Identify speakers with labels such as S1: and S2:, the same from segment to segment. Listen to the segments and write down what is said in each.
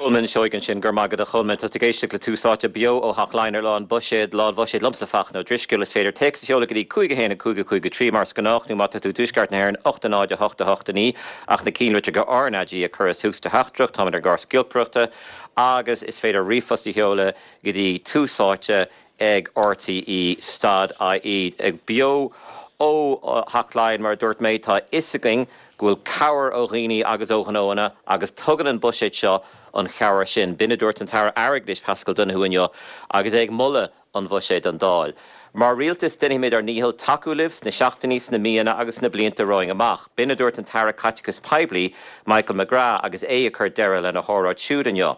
S1: Colman Seoighe ansin, go raibh maith agat a Cholmain. Tá tú ag éisteacht le Tús Áite beo ó Theach Laighean ar lá an Bhuiséid, lá an Bhuiséid liomsa Fachtna Ó Drisceoil. Is féidir téacs a sheoladh go dtí 5 1 5 5 3 mar is gnách nó má tá tú i dTuaisceart na hÉireann 8 0 8 8 9 ach na cinnlitreacha RnaG a chur as tús do theachtaireacht. Táimid ar an gcarr giolcaireachta agus is féidir ríomhphost a sheoladh go dtí Tús Áite ag RTÉ stad IE. Beo ó Theach Laighean, mar a dúirt mé, tá a fhios againn go bhfuil cabhair ó dhaoine agus ó ghnóanna agus tugann an buiséad seo an chabhair sin. B'in a dúirt an tAire Airgeadais Paschal Donohoe inniu agus é ag moladh an bhuiséid don Dáil. Mar rialtas déanfaimid ár ndícheall tacú libh sna seachtainí, sna míonna agus sna blianta romhainn amach. B'in a dúirt an tAire Caiteachais Poiblí Michael McGrath agus é ag cur deireadh lena hóráid siúd inniu.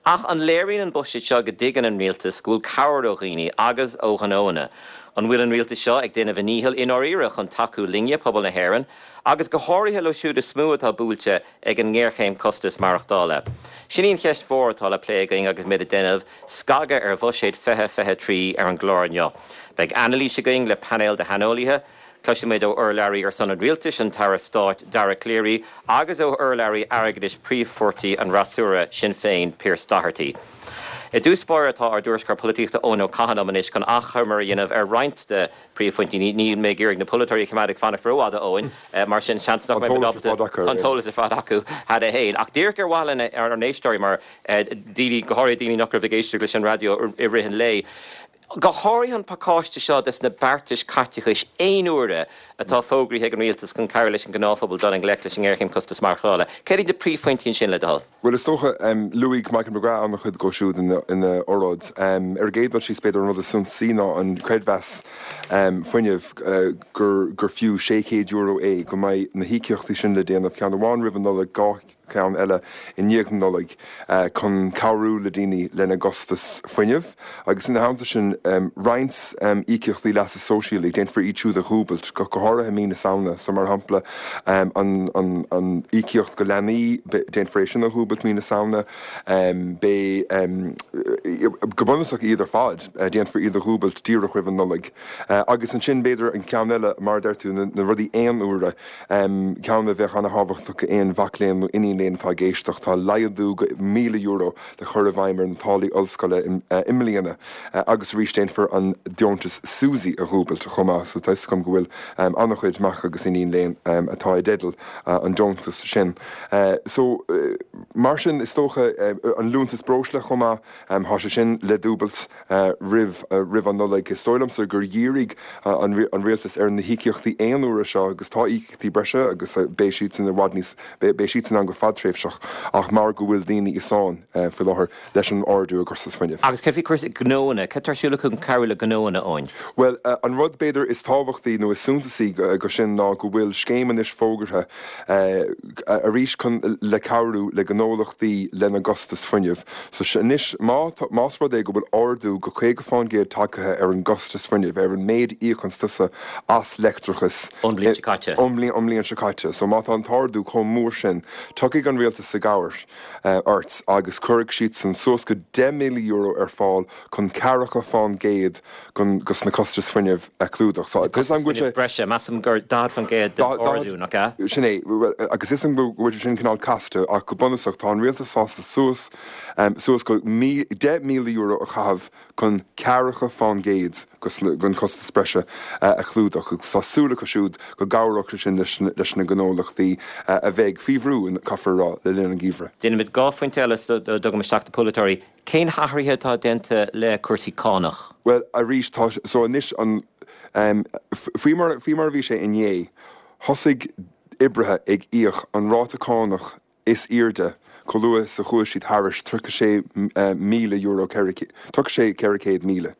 S1: Ach an léiríonn an buiséad seo go dtuigeann an rialtas go bhfuil cabhair ó dhaoine agus ó ghnóanna? An bhfuil an rialtas seo ag déanamh a ndícheall i ndáiríre chun tacú linne, pobal na hÉireann, agus go háirithe leo siúd is mó atá buailte ag an ngéarchéim costas maireachtála? Sin í an cheist mhór atá le plé againn agus muid ag déanamh scagadh ar Bhuiséad 2023 ar an gclár inniu. Beidh anailís againn le painéal de shaineolaithe, Cloisfimid ó urlabhraí ar son an Rialtais, an tAire Stáit Dara Calleary, agus ó urlabhraí airgeadais príomhpháirtí an fhreasúra, Sinn Féin, Pearse Doherty. I dtús báire tá ár dtuairisceoir polaitíochta Eoin Ó Catháin liom anois chun achoimre a dhéanamh ar roinnt de phríomhphointí. Níl mé ag iarraidh na polaiteoirí a choimeád ag fanacht rófhada, Eoin, mar sin seans nach mbeidh muid ábalta an t-eolas ar fad acu cheana féin. Ach díreach ar mhaithe lenár n-éisteoirí, mar daoine, go háirithe daoine nach raibh ag éisteacht leis an raidió i rith an lae, Go háirithe an pacáiste seo des na beartais caiteachais aon uaire atá fógraithe ag an Rialtas chun cabhrú leis an ngnáthphobal dul i ngleic leis an ngéarchéim costas maireachtála. Céard iad na príomhphointí ansin, le do thoil?
S2: Bhuel, is dócha, luaigh Michael McGrath an-chuid dhó siúd ina oráid. Ar an gcéad dul síos, b'fhéidir an rud is suntasaí ná an creidmheas fuinnimh, gur fiú €600 é, go mbeidh na híocaíochtaí sin le déanamh, ceann amháin roimh an Nollaig, 2 ceann eile i ndiaidh na Nollag chun cabhrú le daoine lena gcostas fuinnimh agus ina theannta sin roinnt íocaíochtaí leasa sóisialaigh, déanfar iad siúd a dhúbailt, go háirithe mí na Samhna. So mar shampla an an íocaíocht go leanaí, déanfar é sin a dhúbailt mí na Samhna. Beidh, go bunúsach iad ar fad, déanfar iad a dhúbailt díreach roimh an Nollaig. Agus ansin b'fhéidir an ceann eile, mar a deir tú, na rudaí aon uaire, Ceann a bheadh ana-thábhachtach d'aon mhac léinn nó iníon léinn atá ag éisteacht, tá laghdú go €1,000 le cur i bhfeidhm ar na táillí ollscoile i mbliana agus arís déanfar an deontas SUSI a dhúbailt chomh maith so tá 'fhios agam go bhfuil ana-chuid mac agus iníon léinn atá i dteideal an deontas sin. So mar sin is dócha an liúntas breosla chomh maith, tá sé sin le dúbailt. roimh roimh an Nollaig. Is dóigh liomsa gur dhírigh an rialtas ar na híocaíochtaí aon uaire seo agus tá íocaíochtaí breise agus beidh siadsan i bhfad níos, beidh siadsan ann go fadtréimhseach ach mar go bhfuil daoine i sáinn faoi láthair leis an ardú i gcostas fuinnimh.
S1: Agus céard faoi chúrsaí gnóanna? Cad tá ar siúl acu chun cabhrú le gnóanna, Eoin?
S2: Bhuel, an rud b'fhéidir is tábhachtaí nó is suntasaí go sin ná go bhfuil scéim anois fógartha arís chun le cabhrú le gnólachtaí lena gcostas fuinnimh. So anois má más rud é go bhfuil ardú go 50% tagtha ar an gcostas fuinnimh, ar an méid a íocanns tusa as leictreachas
S1: ón mbliain seo caite.
S2: ón mbliain seo caite. So má tá an t-ardú chomh mór sin, tiocfaidh an rialtas i gcabhair ort agus cuirfidh siadsan suas go €10,000 ar fáil chun ceathracha fán gcéad dos na costais fuinnimh a chlúdach.
S1: So, tá 'fhios agam go bhfuil sé. breise, measaim gur 40% den ardú, nach ea?
S2: Sin é. Agus tá 'fhios agam go bhfuil sé sin cineál casta ach go bunúsach tá an rialtas sásta suas, suas go €10,000 a chaitheamh chun ceathracha fán gcéad den chostas breise a chlúdach agus tá súil acu siúd go gcabhródh sé sin leis na gnólachtaí a bheidh faoi bhrú, caithfear a rá, le linn an gheimhridh.
S1: Déanfaimid 2 phointe eile sula dtugaim isteach na polaiteoirí. Cén hathruithe atá déanta le cúrsaí cánach?
S2: Bhuel, arís, tá, so anois an, em, faoi mar, faoi mar a bhí sé inné, thosaigh oibrithe ag íoc an ráta cánach is airde chomh luath is a chuaigh siad thairis €36,000, 36, 400,000.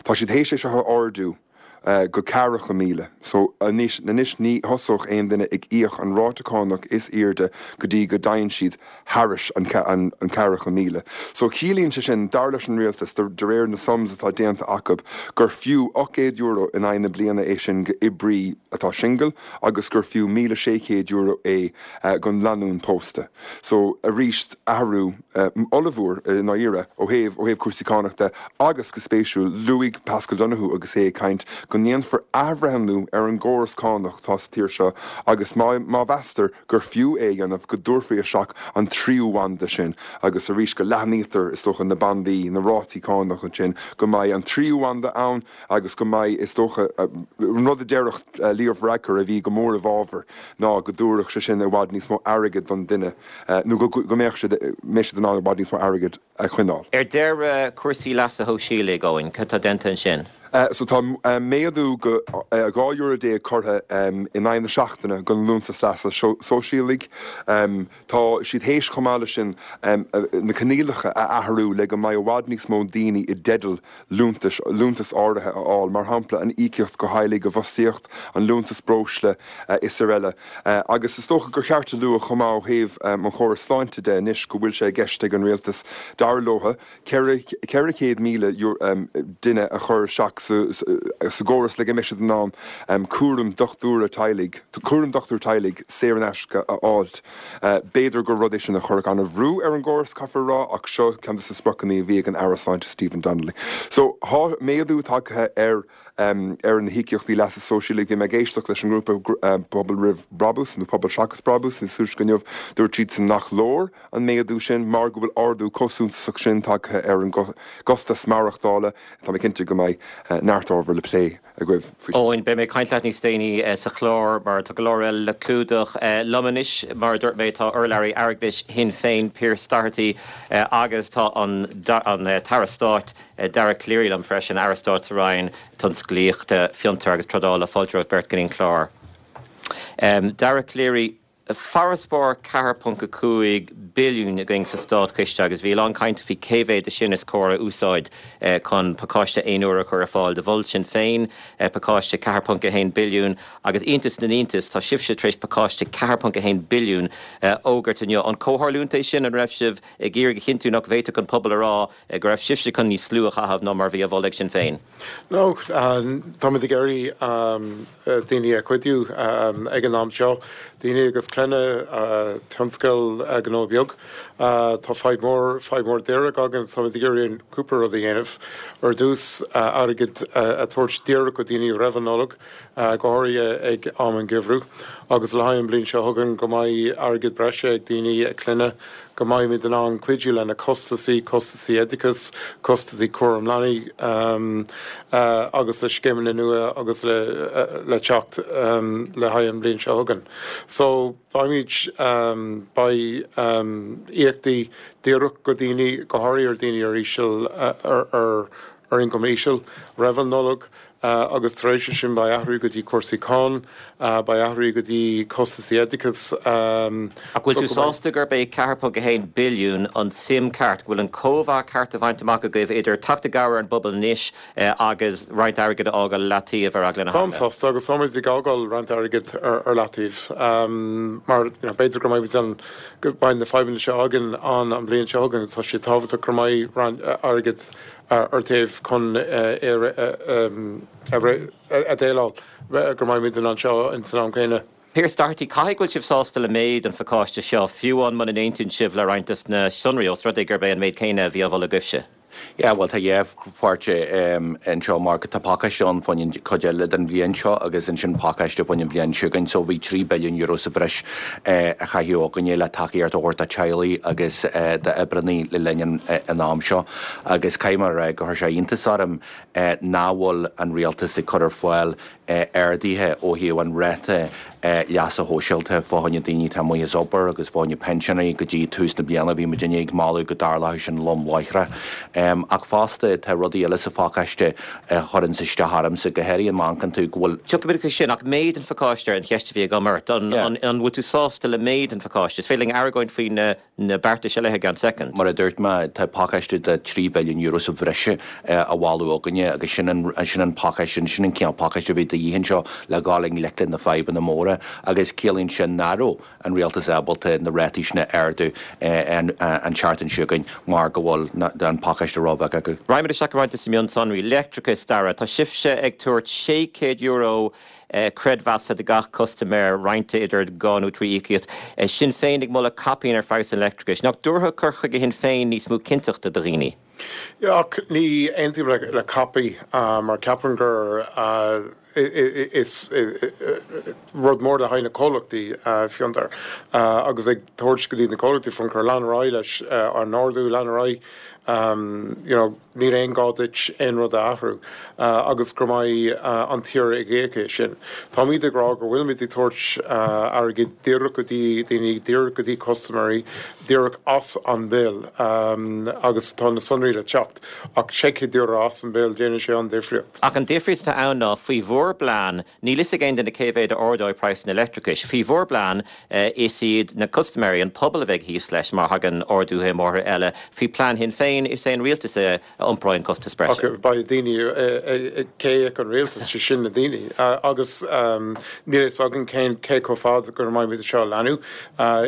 S2: Tá siad théis é seo a ardú go 40,000. So, anois, anois ní thosódh aon duine ag íoc an ráta cánach is airde go dtí go dtéann siad thairis an 40,000. So, ciallaíonn sé sin, dar leis an rialtas, de réir na sums atá déanta acu, gur fiú €800 in aghaidh na bliana é sin go oibrí atá singil agus gur fiú €1,600 é don lánúin pósta. So, arís, athrú ollmhór i ndáiríre ó thaobh ó thaobh cúrsaí cánach de agus go spéisiúil, luaigh Paschal Donohoe agus é ag caint. go ndéanfar athbhreithniú ar an gcóras cánach atá sa tír seo agus má mheastar gur fiú é a dhéanamh, go dtabharfaí isteach an tríú banda sin agus arís go leathnaítear, is dócha, na bandaí, na rátaí cánach ansin, go mbeidh an tríú banda ann agus go mbeidh, is dócha, an rud a déarfadh Leo Varadkar a bhí go mór i bhfabhar ná go dtabharfadh sé sin i bhfad níos mó airgid don duine nó go mbeadh siad, mbeidh siad in ann i bhfad níos mó airgid a choinneáil.
S1: Ar deireadh, cúrsaí leasa shóisialaigh, Eoin, cad tá déanta ansin?
S2: So tá méadú go €12 euro curtha in aghaidh na seachtaine don liúntas leasa sóisialaigh. Tá siad théis chomh maith leis sin na coinníollacha a athrú le go mbeidh i bhfad níos mó daoine i dteideal liúntais, liúntas áirithe a fháil, mar shampla an íocaíocht do theaghlaigh i bhfostaíocht, an liúntas breosla is araile. Agus is dócha gur cheart a lua chomh maith ó thaobh an chórais sláinte de anois go bhfuil sé i gceist ag an rialtas, dar leo, 400,000 duine a chur isteach sa gcóras le go mbeidh siad in ann cúram dochtúra teaghlaigh, cúram dochtúir teaghlaigh saor in aisce a fháilt. B'fhéidir gur rud é sin a chuirfeadh an-bhrú ar an gcóras, caithfear a rá, ach seo ceann de na spriocanna a bhí ag an Aire Sláinte Stephen Donnelly. So, tá méadú tagtha ar ar na híocaíochtaí leasa sóisialaigh. Bhí mé ag éisteacht leis an ngrúpa Pobal Roimh Brabús, nó Pobal Seachas Brabús, níos túisce inniu. Dúirt siadsan nach leor an méadú sin mar go bhfuil ardú chomh suntasach sin tagtha ar an gcostas maireachtála. Tá mé cinnte go mbeidh neart ábhar le plé agaibh
S1: faoi sin. Eoin, beidh mé ag caint leat níos déanaí sa chlár mar tá go leor eile le clúdach. Liom anois, mar a dúirt mé, tá urlabhraí airgeadais Shinn Féin, Pearse Doherty, agus tá an tAire Stáit, Dara Calleary liom freisin, Aire Stáit sa Roinn Tionsclaíochta, Fiontar agus Trádála. Fáilte romhaibh beirt go dtí an clár. Dara Calleary, Farasbarr 4.5 billiún againn sa státchiste agus bhí a lán cainte faoi cé mhéad de sin is cóir a úsáid chun pacáiste aon uaire a chur ar fáil. Do mhol Sinn Féin pacáiste 4.1 billiún agus iontas na n-iontas tá sibhse tar éis pacáiste 4.1 billiún a fhógairt inniu. An comhtharlúint é sin? An raibh sibh ag iarraidh a chinntiú nach bhféadfadh an pobal a rá go raibh sibhse chun níos lú a chaitheamh ná mar a bhí á mholadh ag Sinn Féin?
S3: No, táimid ag iarraidh daoine a chuidiú ag an am seo, daoine agus clainne, tionscal, gnó beag. Tá fadhb mhór, fadhb mhór díreach againn agus táimid ag iarraidh cúpla rud a dhéanamh. Ar dtús, airgead a thabhairt díreach go daoine roimh an Nollaig, go háirithe ag am an gheimhridh, agus le haghaidh an bhliain seo chugainn go mbeidh airgead breise ag daoine, clainne, go mbeimid in ann cuidiú lena costasaí, costasaí oideachais, costasaí cúram leanaí agus le scéimeanna nua agus le teacht le haghaidh an bhliain seo chugainn. So beimid, beidh íocaíochtaí díreach go daoine, go háirithe ar daoine ar íseal, ar ar ioncam íseal, roimh an Nollaig agus tar éis sin beidh athrú go dtí cúrsaí cáin, beidh athrú go dtí costasaí oideachais.
S1: Ach bhfuil tú sásta gurb é 4.1 billiún an tsuim ceart, go bhfuil an cóimheá ceart á bhaint amach agaibh idir teacht i gcabhair ar an bpobal anois agus roinnt airgid a fhágáil i leataobh ar eagla na
S3: Táim heagla? sásta agus táimid ag fhágáil roinnt airgid ar leataobh mar b'fhéidir go mbeidh an, go mbeidh na fadhbanna seo againn an an bhliain seo chugainn agus tá sé tábhachtach go mbeidh roinnt airgid ar taobh chun é a dhéileáil go mbeimid in ann seo ins an am céanna.
S1: Pearse Doherty, Caithfidh go bhfuil sibh sásta le méid an phacáiste seo, fiú amháin muna n-aontaíonn sibh le roinnt des na sonraí, ós rud é gurb é an méid céanna a bhí á mholadh agaibhse.
S4: Yeah, bhuel tá dhá pháirt anseo mar tá pacáiste ann fá choinne an chuid eile den bhliain seo agus ansin pacáiste fá choinne an bhliain seo chugainn. So bhí €3 billiún sa bhreis a chaitheamh againne le tacaíocht a thabhairt do teaghlaigh agus d'oibreannaí le linn an am seo. Agus caithfidh mé a rá gur chuir sé iontas orm nach bhfuil an rialtas ag cur ar fáil arduithe ó thaobh an ráta leasa shóisialta fá choinne daoine atá amuigh as obair agus fá choinne pinseanóirí go dtí tús na bliana. Bhí muidinne ag moladh go dtarlódh sin lom láithreach. Ach fosta tá rudaí eile sa phacáiste a chuireanns isteach ormsa, go háirithe má amharcann tú go bhfuil.
S1: Tiocfaimid chuige sin, ach méid an phacáiste an cheist a bhí agam ort. An bhfuil tú sásta le méid an phacáiste? Is féidir linn argóint faoi na. na beartais eile i gceann soicind.
S4: Mar a dúirt mé, tá pacáiste de €3 bhilliún sa bhreis á mholadh againne agus sin an sin an pacáiste, sin an cineál pacáiste a bhí de dhíth anseo le dhul i ngleic le na fadhbanna móra agus ciallaíonn sin nach raibh an rialtas ábalta na rátaí sin a ardú an tseachtain seo chugainn mar go bhfuil an pacáiste róbheag acu.
S1: Raghaimid isteach i roinnt de na mionsonraí. Leictreachas, Dara, tá sibhse ag tabhairt €600. creidmheasa do gach custaiméir, roinnte idir 2 nó 3 íocaíocht. Sinn Féin ag moladh caipín ar phraghas an leictreachais. Nach dtabharfadh cur chuige Shinn Féin níos mó cinnteachta do dhaoine?
S3: Yeah, ach ní aontaím le capaí mar ceapaim gur is rud mór le haghaidh na comhlachtaí fiontair agus ag tabhairt go dtí na comhlachtaí fiontair lean ar aghaidh leis an ardú, lean ar aghaidh you know níl aon gá duit aon rud a athrú agus go mbeidh an tír ag íoc é sin. Táimid ag rá go bhfuilimid ag tabhairt airgid díreach go dtí daoine, díreach go dtí custaiméirí, díreach as an bill agus tá na sonraí le teacht ach €600 as an bill, déanann sé an difríocht.
S1: Ach an difríocht atá ann ná faoi bhur bplean, níl fhios ag aon duine cé mhéad a ardóidh praghas an leictreachais. Faoi bhur bplean, is iad na custaiméirí, an pobal a bheidh thíos leis má thagann arduithe móra eile. Faoi plean Shinn Féin, is é an rialtas a iompróidh an costas breise.
S3: Ach beidh daoine, cé a íocann an rialtas, sé sin na daoine. Agus níl a fhios againn cén, cé chomh fada go mbeimid seo a leanúint.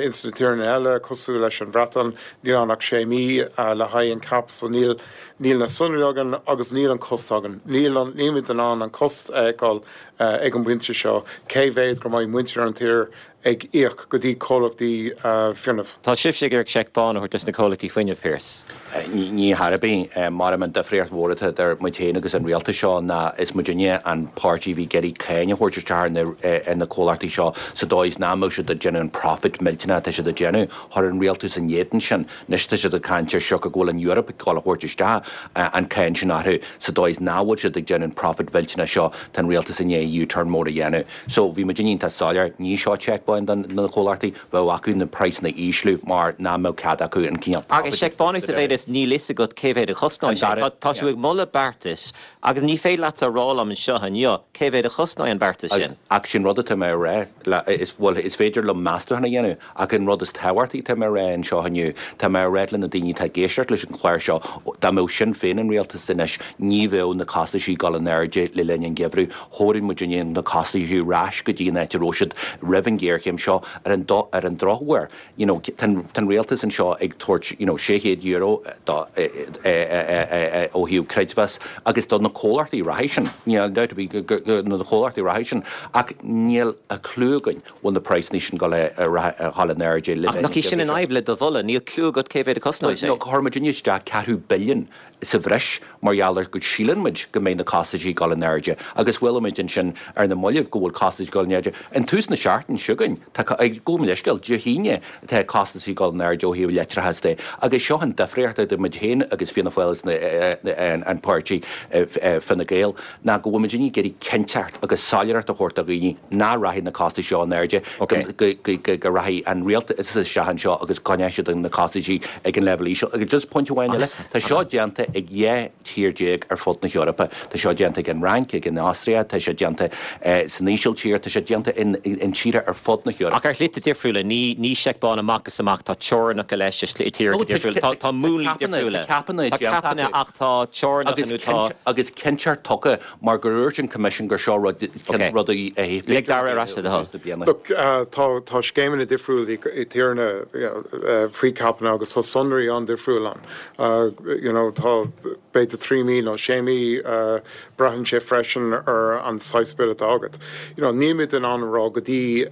S3: Ins na tíreanna eile, cosúil leis an Bhreatain, níl ann ach sé mí le haghaidh an cap, so níl, níl na sonraí againn agus níl an cost againn. Níl an, nílimid in ann an cost a fheiceáil ag an bpointe seo, cé mhéad go mbeidh muintir an tír ag íoc go dtí comhlachtaí fuinnimh.
S1: Tá sibhse ag iarraidh seic bán a thabhairt dos na comhlachtaí fuinnimh, Pearse.
S4: Ní chor ar bith. Mar an difríocht mhór atá idir muid féin agus an rialtas seo ná is muidinne an páirtí a bhí ag iarraidh cáin a thabhairt isteach ar na comhlachtaí seo sa dóigh is nach mbeadh siad ag déanamh an profit millteanach atá siad ag déanamh. Chuir an rialtas in éadan sin. Anois tá siad ag caint ar siocair go bhfuil an Eoraip ag dul a thabhairt isteach an cáin sin orthu sa dóigh is nach bhfuil siad ag déanamh an profit mhillteanach seo. Tá an rialtas i ndiaidh U-turn mór a dhéanamh. So, bhí muid iontach soiléir, ní seo seic bán do na comhlachtaí, bheadh acu na praghsanna a ísliú mar nach mbeadh cead acu an cineál
S1: profit Agus seic bán é sa mhéid is níl fhios agat cé mhéad a chosnóidh sé. Tá tú ag moladh beartais agus ní féidir leatsa a rá liom anseo inniu cé mhéad a chosnóidh an beartas sin.
S4: Ach sin rud atá mé a rá, is, bhuel, is féidir liom meastachán a dhéanamh Ach an rud is tábhachtaí atá mé a rá anseo inniu, tá mé a rá le na daoine atá ag éisteacht leis an chlár seo, dá mbeadh Sinn Féin in rialtas anois, ní bheadh na costaisí ag dul in airde le linn an gheimhridh. Thabharfadh muidinne na costaisí ar ais go dtí an áit a raibh siad roimh an ghéarchéim seo. Ar an ar an drochuair, you know, tá an rialtas anseo ag tabhairt, you know, €600 do, ó thaobh creidmheas agus do na comhlachtaí reatha sin, níl dabht ar bith go na comhlachtaí reatha sin, ach níl a chlú againn. bhfuil na praghsanna sin ag dul in airde
S1: le Ach nach í sin an fhadhb le do mholadh? Níl cliú agat cé mhéad a chosnóidh sé.
S4: No, chuir muidinne isteach ceathrú billiún sa bhreis mar gheall ar go síleann muid go mbeidh na costaisí ag dul in airde agus chuala muid ansin ar na mallaibh go bhfuil costaisí ag dul in airde. An tús na seachtaine seo chugainn, tá, gabh mo leithscéal, Dé hAoine, tá costaisí ag dul in airde ó thaobh leictreachas de agus seo an difríocht idir muid féin agus Fianna Fáil agus an páirtí Fine Gael. ná go bhfuil muidinne ag iarraidh cinnteacht agus soiléireacht a thabhairt do dhaoine nach rachaidh na costais seo in airde, go rachaidh an rialtas isteach anseo agus coinneoidh siad na costaisí ag an leibhéal íseal. Agus just pointe amháin eile, tá seo déanta ag 12 tír ar fud na hEorpa. Tá seo déanta ag an Fhrainc, ag an Astria, tá sé déanta san Ísiltír, tá sé déanta in tíortha ar fud na
S1: hEorpa. Ach ar shlite difriúla, ní seic bán amach is amach, tá teorainneacha leis i tíortha difriúla, tá múnlaí difriúla.
S4: Tá capanna
S1: déanta acu. Tá capanna ach tá teorainneacha nó tá.
S4: Agus cinnteacht tugtha mar gur dhúirt an Coimisiún gur seo rud rud a
S1: Lig Dara ar ais le do
S3: thoil. Look, tá tá scéimeanna difriúla i tíortha faoi capanna agus tá sonraí an-difriúil ann. You know, tá b'fhéidir 3 mí nó 6 mí, braitheann sé freisin ar an saghas bille atá agat. You know, nílimid in ann a rá go dtí,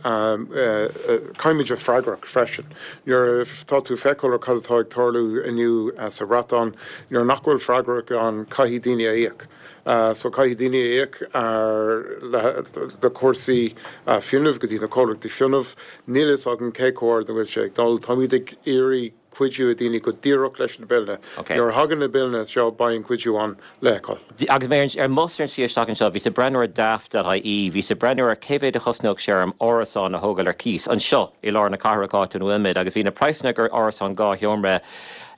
S3: caithfimid bheith freagrach freisin. Nuair atá tú ag feiceáil ar cad atá ag tarlú inniu sa Bhreatain, nuair nach bhfuil freagrach ann, caithfidh daoine a íoc. So caithfidh daoine a íoc ar le cúrsaí fuinnimh go dtí na comhlachtaí fuinnimh. Níl a fhios againn cé chomh ard a bhfuil sé ag dul. Táimid ag iarraidh cuidiú ag daoine go díreach leis na billeanna. Nuair a thagann na billeanna seo beidh an cuidiú ann le feiceáil.
S1: Agus mé ar mo bhus ar an tslí isteach anseo, bhíos ag breathnú ar Daft.ie, bhíos ag breathnú ar cé mhéad a chosnódh sé orm árasán a thógáil ar cíos anseo i lár na cathrach áit ina bhfuilimid agus bhí na praghsanna ar árasán 2 sheomra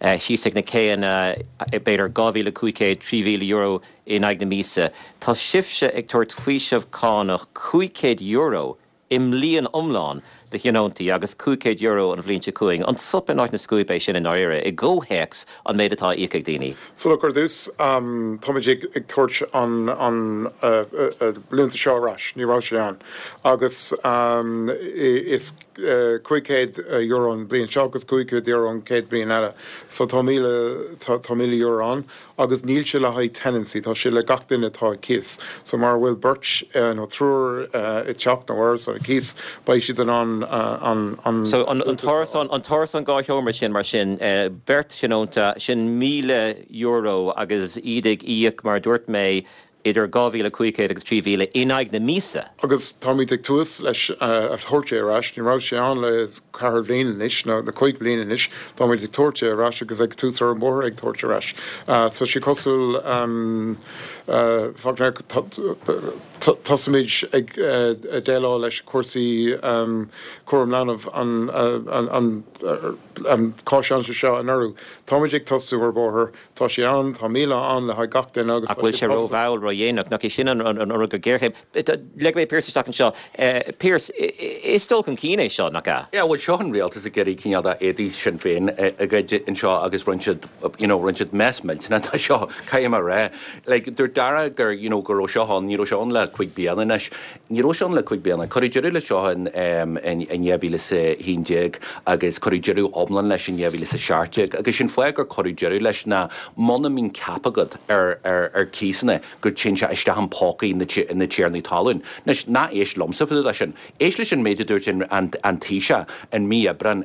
S1: síos ag na céanna, b'fhéidir €2,500, €3,000 in aghaidh na míosa. Tá sibhse ag tabhairt faoiseamh cánach €500 i mbliain iomlán. do thionóntaí agus €500 an bhliain seo chugainn. An sop in áit na scuaibe é sin i ndáiríre, i gcomhthéacs an méid atá á íoc ag daoine?
S3: So look, ar dtús, táimid ag tabhairt an liúntas seo ar ais, ní raibh sé ann. Agus is €500 an bhliain seo agus €500 an chéad bhliain eile. So tá €1,000 ann. Agus níl sé le haghaidh tenancy, tá sé le gach duine atá ag cíos. So mara bhfuil beirt nó triúr i dteach nó árasán ag cíos, beidh siad in ann an
S1: an So an t-árasán, an t-árasán 2 sheomra sin, mar sin, beirt tionónta, sin €1,000 agus iad ag íoc, mar a dúirt mé, idir 2,500 agus 3,000 in aghaidh na míosa.
S3: Agus táimid ag tús leis a thabhairt é ar ais. Ní raibh sé ann le ceathair bhliain anois, nó le cúig bliana anois. Táimid ag tabhairt é ar ais agus ag tús ar an bóthar ag tabhairt ar ais. Tá sé cosúil, tosaímid ag déileáil leis cúrsaí cúram leanbh an cáiseáin seo anuraidh. Táimid ag tosú ar bóthar. Tá sé ann, tá 1,000 ann le haghaidh gach duine agus
S1: Ach tá bhfuil
S3: sé
S1: sé rómhall, ródhéanach? Nach é sin an rud gur géarchéim? Leagfaidh mé Pearse isteach anseo. Pearse, is dul chun cinn é seo, nach ea?
S4: Yeah, bhuel seo an rialtas ag iarraidh cineál de éadaí Sinn Féin a ghoid anseo agus rinne siad, you know, rinne siad mess millteanach de seo, caithfidh mé a rá. Like, dúirt Dara gur, you know, go raibh seo ann, ní raibh seo ann le cuig bliana anois. Ní raibh sé ann le cuig bliana. Cuireadh deireadh leis seo in 2011 agus cuireadh deireadh iomlán leis in 2017 agus sin fáth gur cuireadh deireadh leis ná muna mbíonn cap agat ar cíosanna go dtéann sé isteach in pócaí na tiarnaí talún. Anois, ná éist liomsa fá dtaobh de sin. Éist leis an méid a dúirt an Taoiseach in mí Aibreáin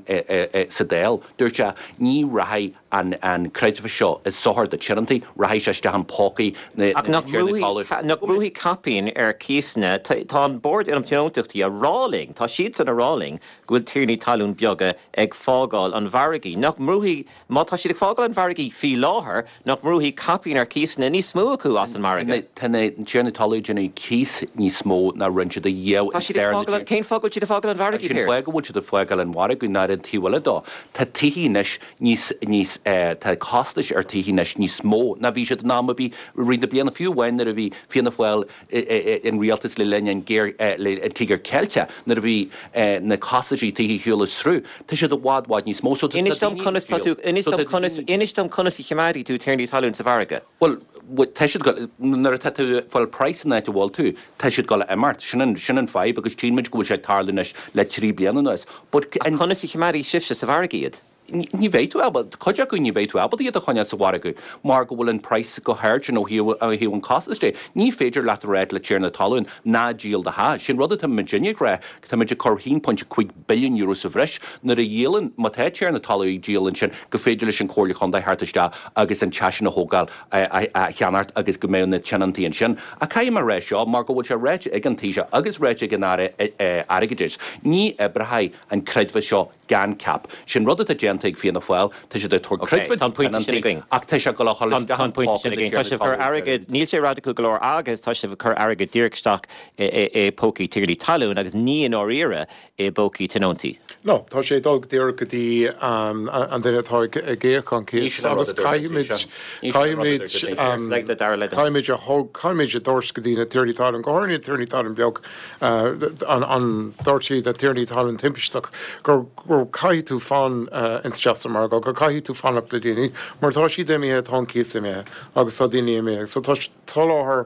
S4: sa Dáil. Dúirt sé, ní rachaidh an creidmheas seo i sochar do tionóntaí, rachaidh sé isteach in pócaí na
S1: Ach nach
S4: tiarnaí talún.
S1: Nach mbrúfaidh caipín ar cíosanna? Tá an Bord um Tionóntachtaí a rá linn, tá siadsan a rá linn go bhfuil tiarnaí talún beaga ag fágáil an mhargaidh. Nach mbrúfaidh, má tá siad ag fágáil an mhargaidh faoi láthair, nach mbrúfaidh caipín ar cíosanna níos mó acu as an margadh?
S4: Tá na tiarnaí talún ag déanamh cíos níos mó ná rinne siad ariamh
S1: Tá siad ag fágáil an, cén fáth go bhfuil siad ag fágáil an mhargaidh,
S4: Sin
S1: Pearse?
S4: fáth go bhfuil siad ag fágáil an mhargaidh ná ar an taobh eile dó, tá tithe anois níos, níos, tá costais ar tithe anois níos mó ná bhí siad in am ar bith i rith na bliana, fiú amháin nuair a bhí Fianna Fáil in rialtas le linn an géar, le an Tíogar Ceilteach, nuair a bhí na costaisí tithe ar shiúl as sruth, tá siad i bhfad, bhfad níos mó. So tá
S1: Inis dom conas tá tú, inis dom conas, inis dom conas a choimeádfaidh tú tiarnaí talún sa mhargadh.
S4: Bhuel, tá siad, nuair atá tú ag fáil praghas san áit a bhfuil tú, tá siad ag dul a imeacht. Sin an, sin an fadhb agus tchíonn muid go bhfuil sé ag tarlú anois le 3 bliana anuas.
S1: But Ach conas a choimeádfaidh sibhse sa mhargadh iad?
S4: Ní bheidh tú ábalta, cuid acu ní bheidh tú ábalta iad a choinneáil sa mhargadh mar go bhfuil an praghas chomh hard sin ó thaobh, ó thaobh an costais de. Ní féidir leat a ráit le tiarna talún, ná díol do theach. Sin rud atá muidinne ag rá, tá muid ag cur €1.5 billiún sa bhreis nuair a dhíolann, má tá tiarna talún ag díol ansin, go féidir leis an Chomhairle Chontae theacht isteach agus an teach sin a thógáil, a cheannacht agus go mbeadh na tionóntaí ansin. Ach caithfidh mé a rá seo, mar go bhfuil sé ráite ag an Taoiseach agus ráite ag an Aire Airgeadais, ní oibreoidh an creidmheas seo gan cap. Sin rud atá déanta ag Fianna Fáil, tá siad ag tabhairt creidmheas
S1: do thionóntaí
S4: ach tá sé ag dul a dhul isteach
S1: Tá an pointe sin againn. Tá sibh ag cur airgid, níl sé radical go leor agus tá sibh ag cur airgid díreach isteach i bpócaí tiarnaí talún agus ní i ndáiríre i bpócaí tionóntaí.
S3: No, tá sé ag dul go díreach go dtí an duine atá ag íoc an cíos agus caithfimid, caithfimid, caithfimid a thóg, caithfimid a dtabhairt go dtí na tiarnaí talún, go háirithe na tiarnaí talún beag, an dúirt siad na tiarnaí talún timpisteach gur, gur caithfidh tú fan isteach sa margadh, gur caithfidh tú fanacht le daoine mar tá siad imithe, tá an cíos imithe agus tá daoine imithe. So tá soláthar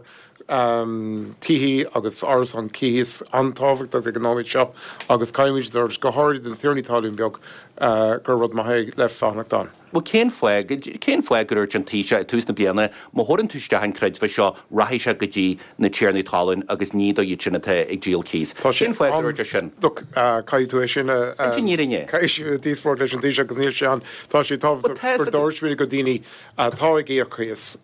S3: tithe agus árasán cíos an-tábhachtach ag an nóiméad seo agus caithfimid a dtabhairt, go háirithe do na tiarnaí talún beag, gur rud maith é le fanacht ann.
S4: Bhuel, cén fáth, cén fáth gur dhúirt an Taoiseach i tús na bliana, má thabharann tú isteach an creidmheas seo, rachaidh sé go dtí na tiarnaí talún agus ní do iad sin atá ag díol cíos.
S3: Tá sé
S4: Cén fáth gur dhúirt sé sin?
S3: Look, caithfidh tú é sin a,
S4: An fhírinne.
S3: caithfidh tú díospóireacht leis an Taoiseach agus níl sé ann. Tá sé tábhachtach go dtabharfaimid go daoine atá ag íoc cíos,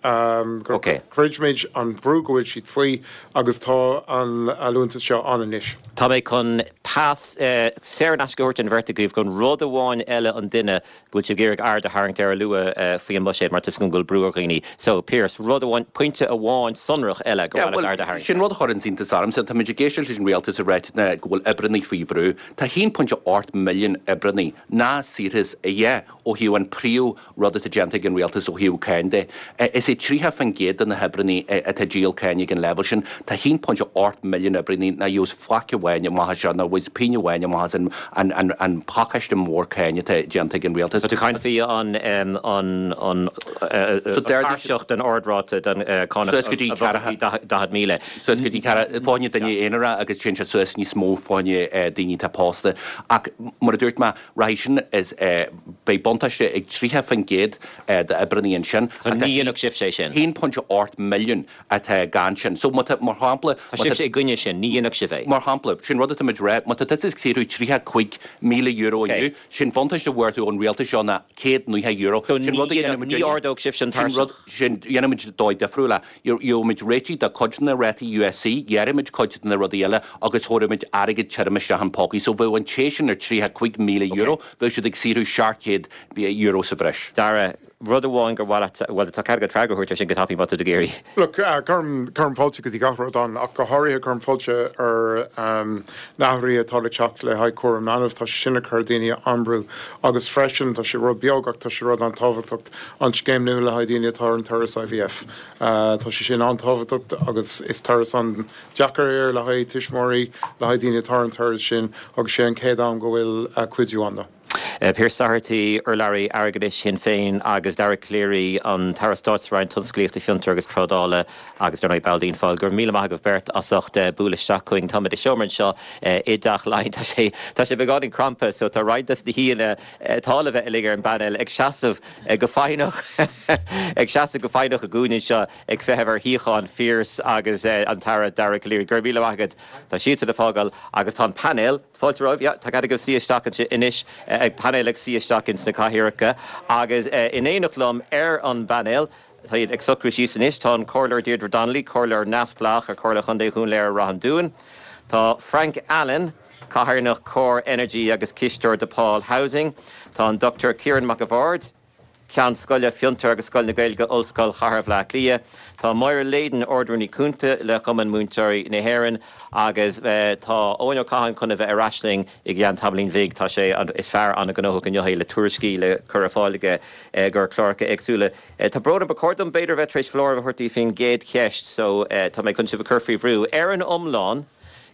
S3: go gcreidimid an brú go bhfuil siad faoi agus tá an liúntas seo ann anois.
S1: Tá mé chun pas saor in aisce a thabhairt don bheirt agaibh chun rud amháin eile an duine go bhfuil sibh ag iarraidh aird a tharraingt air a lua faoi an mbuiséad mar tá 'fhios agam go bhfuil brú ar dhaoine. So, Pearse, rud amháin, pointe amháin sonrach eile gur mhaith leat aird a tharraingt
S4: air. Sin rud a chuireann iontas ormsa. Táimid ag éisteacht leis an rialtas ag ráit go bhfuil oibreannaí faoi bhrú. Tá 1.8 milliún oibreannaí ná saorthas a dhath ó thaobh an príomh rud atá déanta ag an rialtas ó thaobh cáin de. Is é 30% de na hoibreannaí atá ag díol cáin. cáin ag an leibhéal sin, tá 1.8 milliún oibreannaí nach gheobhas faic amháin amach as seo, nach bhfaighidh pingin amháin amach as an an pacáiste mór cáin atá déanta ag an rialtas.
S1: Tá tú ag caint faoi an an tairseach den ardráta den cánach
S4: a bhog
S1: go dtí 40,000.
S4: Suas go dtí ceathracha fá choinne duine aonarach agus téann sé suas níos mó fá choinne daoine atá pósta. Ach mar a dúirt mé, rachaidh sin is beidh buntáiste ag 30% d'oibreannaí ansin.
S1: So ní dhéanfadh sibhse é sin?
S4: 1.8 milliún atá gan sin. So má tá, mar shampla,
S1: Tá sibhse i gcoinne sin, ní dhéanfadh sibh é.
S4: Mar shampla, sin rud atá muid a rá, má tá tusa ag saothrú €35,000 inniu, sin buntáiste a bhfuair tú ón rialtas seo ná €190.
S1: So ní dhéanfadh, ní ardódh sibhse an tairseach?
S4: Sin, dhéanfaimid dóigh difriúil é. Gheobhaimid réitigh do chuid de na rátaí USC, ghearrfaimid cuid de na rudaí eile agus thabharfaimid airgead tirim isteach in pócaí. So bheadh an té sin ar €35,000, bheadh siad ag saothrú €700 sa bhreis.
S1: Dara, rud amháin gur mhaith leat, bhuel tá cead agat freagra a thabhairt ar sin go tapaidh má tá tú ag iarraidh.
S3: Look, cuirim, cuirim fáilte go dtí gach rud ann ach go háirithe cuirim fáilte ar na hathruithe atá le teacht le haghaidh cúram leanbh. Tá sé sin ag cur daoine an-brú agus freisin tá sé rud beag ach tá sé rud an-tábhachtach an scéim nua le haghaidh daoine atá ar an turas IVF. Tá sé sin an-tábhachtach agus is turas an-deacair é le haghaidh tuismitheoirí, le haghaidh daoine atá ar an turas sin agus sé an chéad am go bhfuil cuidiú ann dó.
S1: Pearse Doherty, urlabhraí airgeadais Shinn Féin agus Dara Calleary, an tAire Stáit sa Roinn Tionsclaíochta, Fiontar agus Trádála agus dar ndóigh ball d'Fhianna Fáil. Go raibh míle maith agaibh beirt as ucht bualadh isteach chugainn. Táimid i seomra anseo i dTeach Laighean. Tá sé, tá sé beagáinín crampa so tá roinnt des na haíonna atá le bheith uilig ar an bpainéal ag seasamh go foighneach ag seasamh go foighneach i gcúinne anseo ag feitheamh ar shuíocháin Phearse agus an tAire Dara Calleary. Go raibh míle maith agat. Tá siadsan ag fágáil agus tá an painéal, fáilte romhaibh, yeah, tá cead agaibh suí isteach ansin anois, ag painéal ag suí isteach ins na cathaoireacha agus in éineacht liom ar an bpainéal, tá iad ag socrú síos anois, tá an Comhairleoir Deirdre Donnelly, Comhairleoir neamhspleách ar Chomhairle Chontae Dhún Laoghaire Ráth an Dúin, tá Frank Allen, Cathaoirleach Core Energy agus Cisteoir DePaul Housing, tá an Dr Ciarán Mac a' Bhaird, Ceann Scoile Fiontar agus Scoil na Gaeilge, Ollscoil Chathair Bhaile Átha Cliath. Tá Máire Leyden, Ard-Rúnaí Cúnta le Cumann Múinteoirí na hÉireann agus tá Eoin Ó Catháin chun a bheith ar ais linn i gceann tamaillín bhig. Tá sé, is fear an-ghnóthach inniu é le tuairiscí le cur ar fáil aige do chláracha éagsúla. Tá brón orm, ba chóir dom b'fhéidir a bheith tar éis foláireamh a thabhairt daoibh faoin gcéad cheist so tá mé chun sibh a chur faoi bhrú. Ar an iomlán,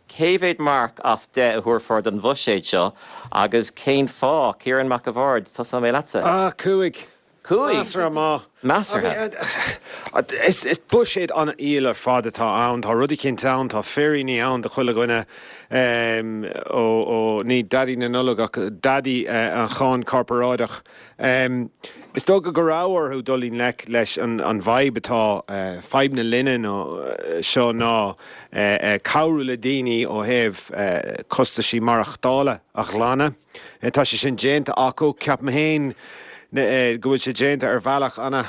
S1: Cé mhéad marc as 10 a thabharfá don bhuiséad seo agus cén fáth? Ciarán Mac a' Bhaird, tosóidh mé leatsa.
S5: Ah, 5.
S1: 5?
S5: Measartha maith.
S1: Measartha.
S5: Is buiséad an-fhial ar fad atá ann. Tá rud eicínt ann, tá féiríní ann do chuile dhuine. Ó, ní Daidí na Nollag ach Daidí an cháin chorparáideach. Is dócha go raibh orthu dul i ngleic leis an bhfadhb atá, fadhb na linne seo ná cabhrú le daoine ó thaobh costaisí maireachtála a ghlanadh. Tá sé sin déanta acu. Ceapaim féin go bhfuil sé déanta ar bhealach ana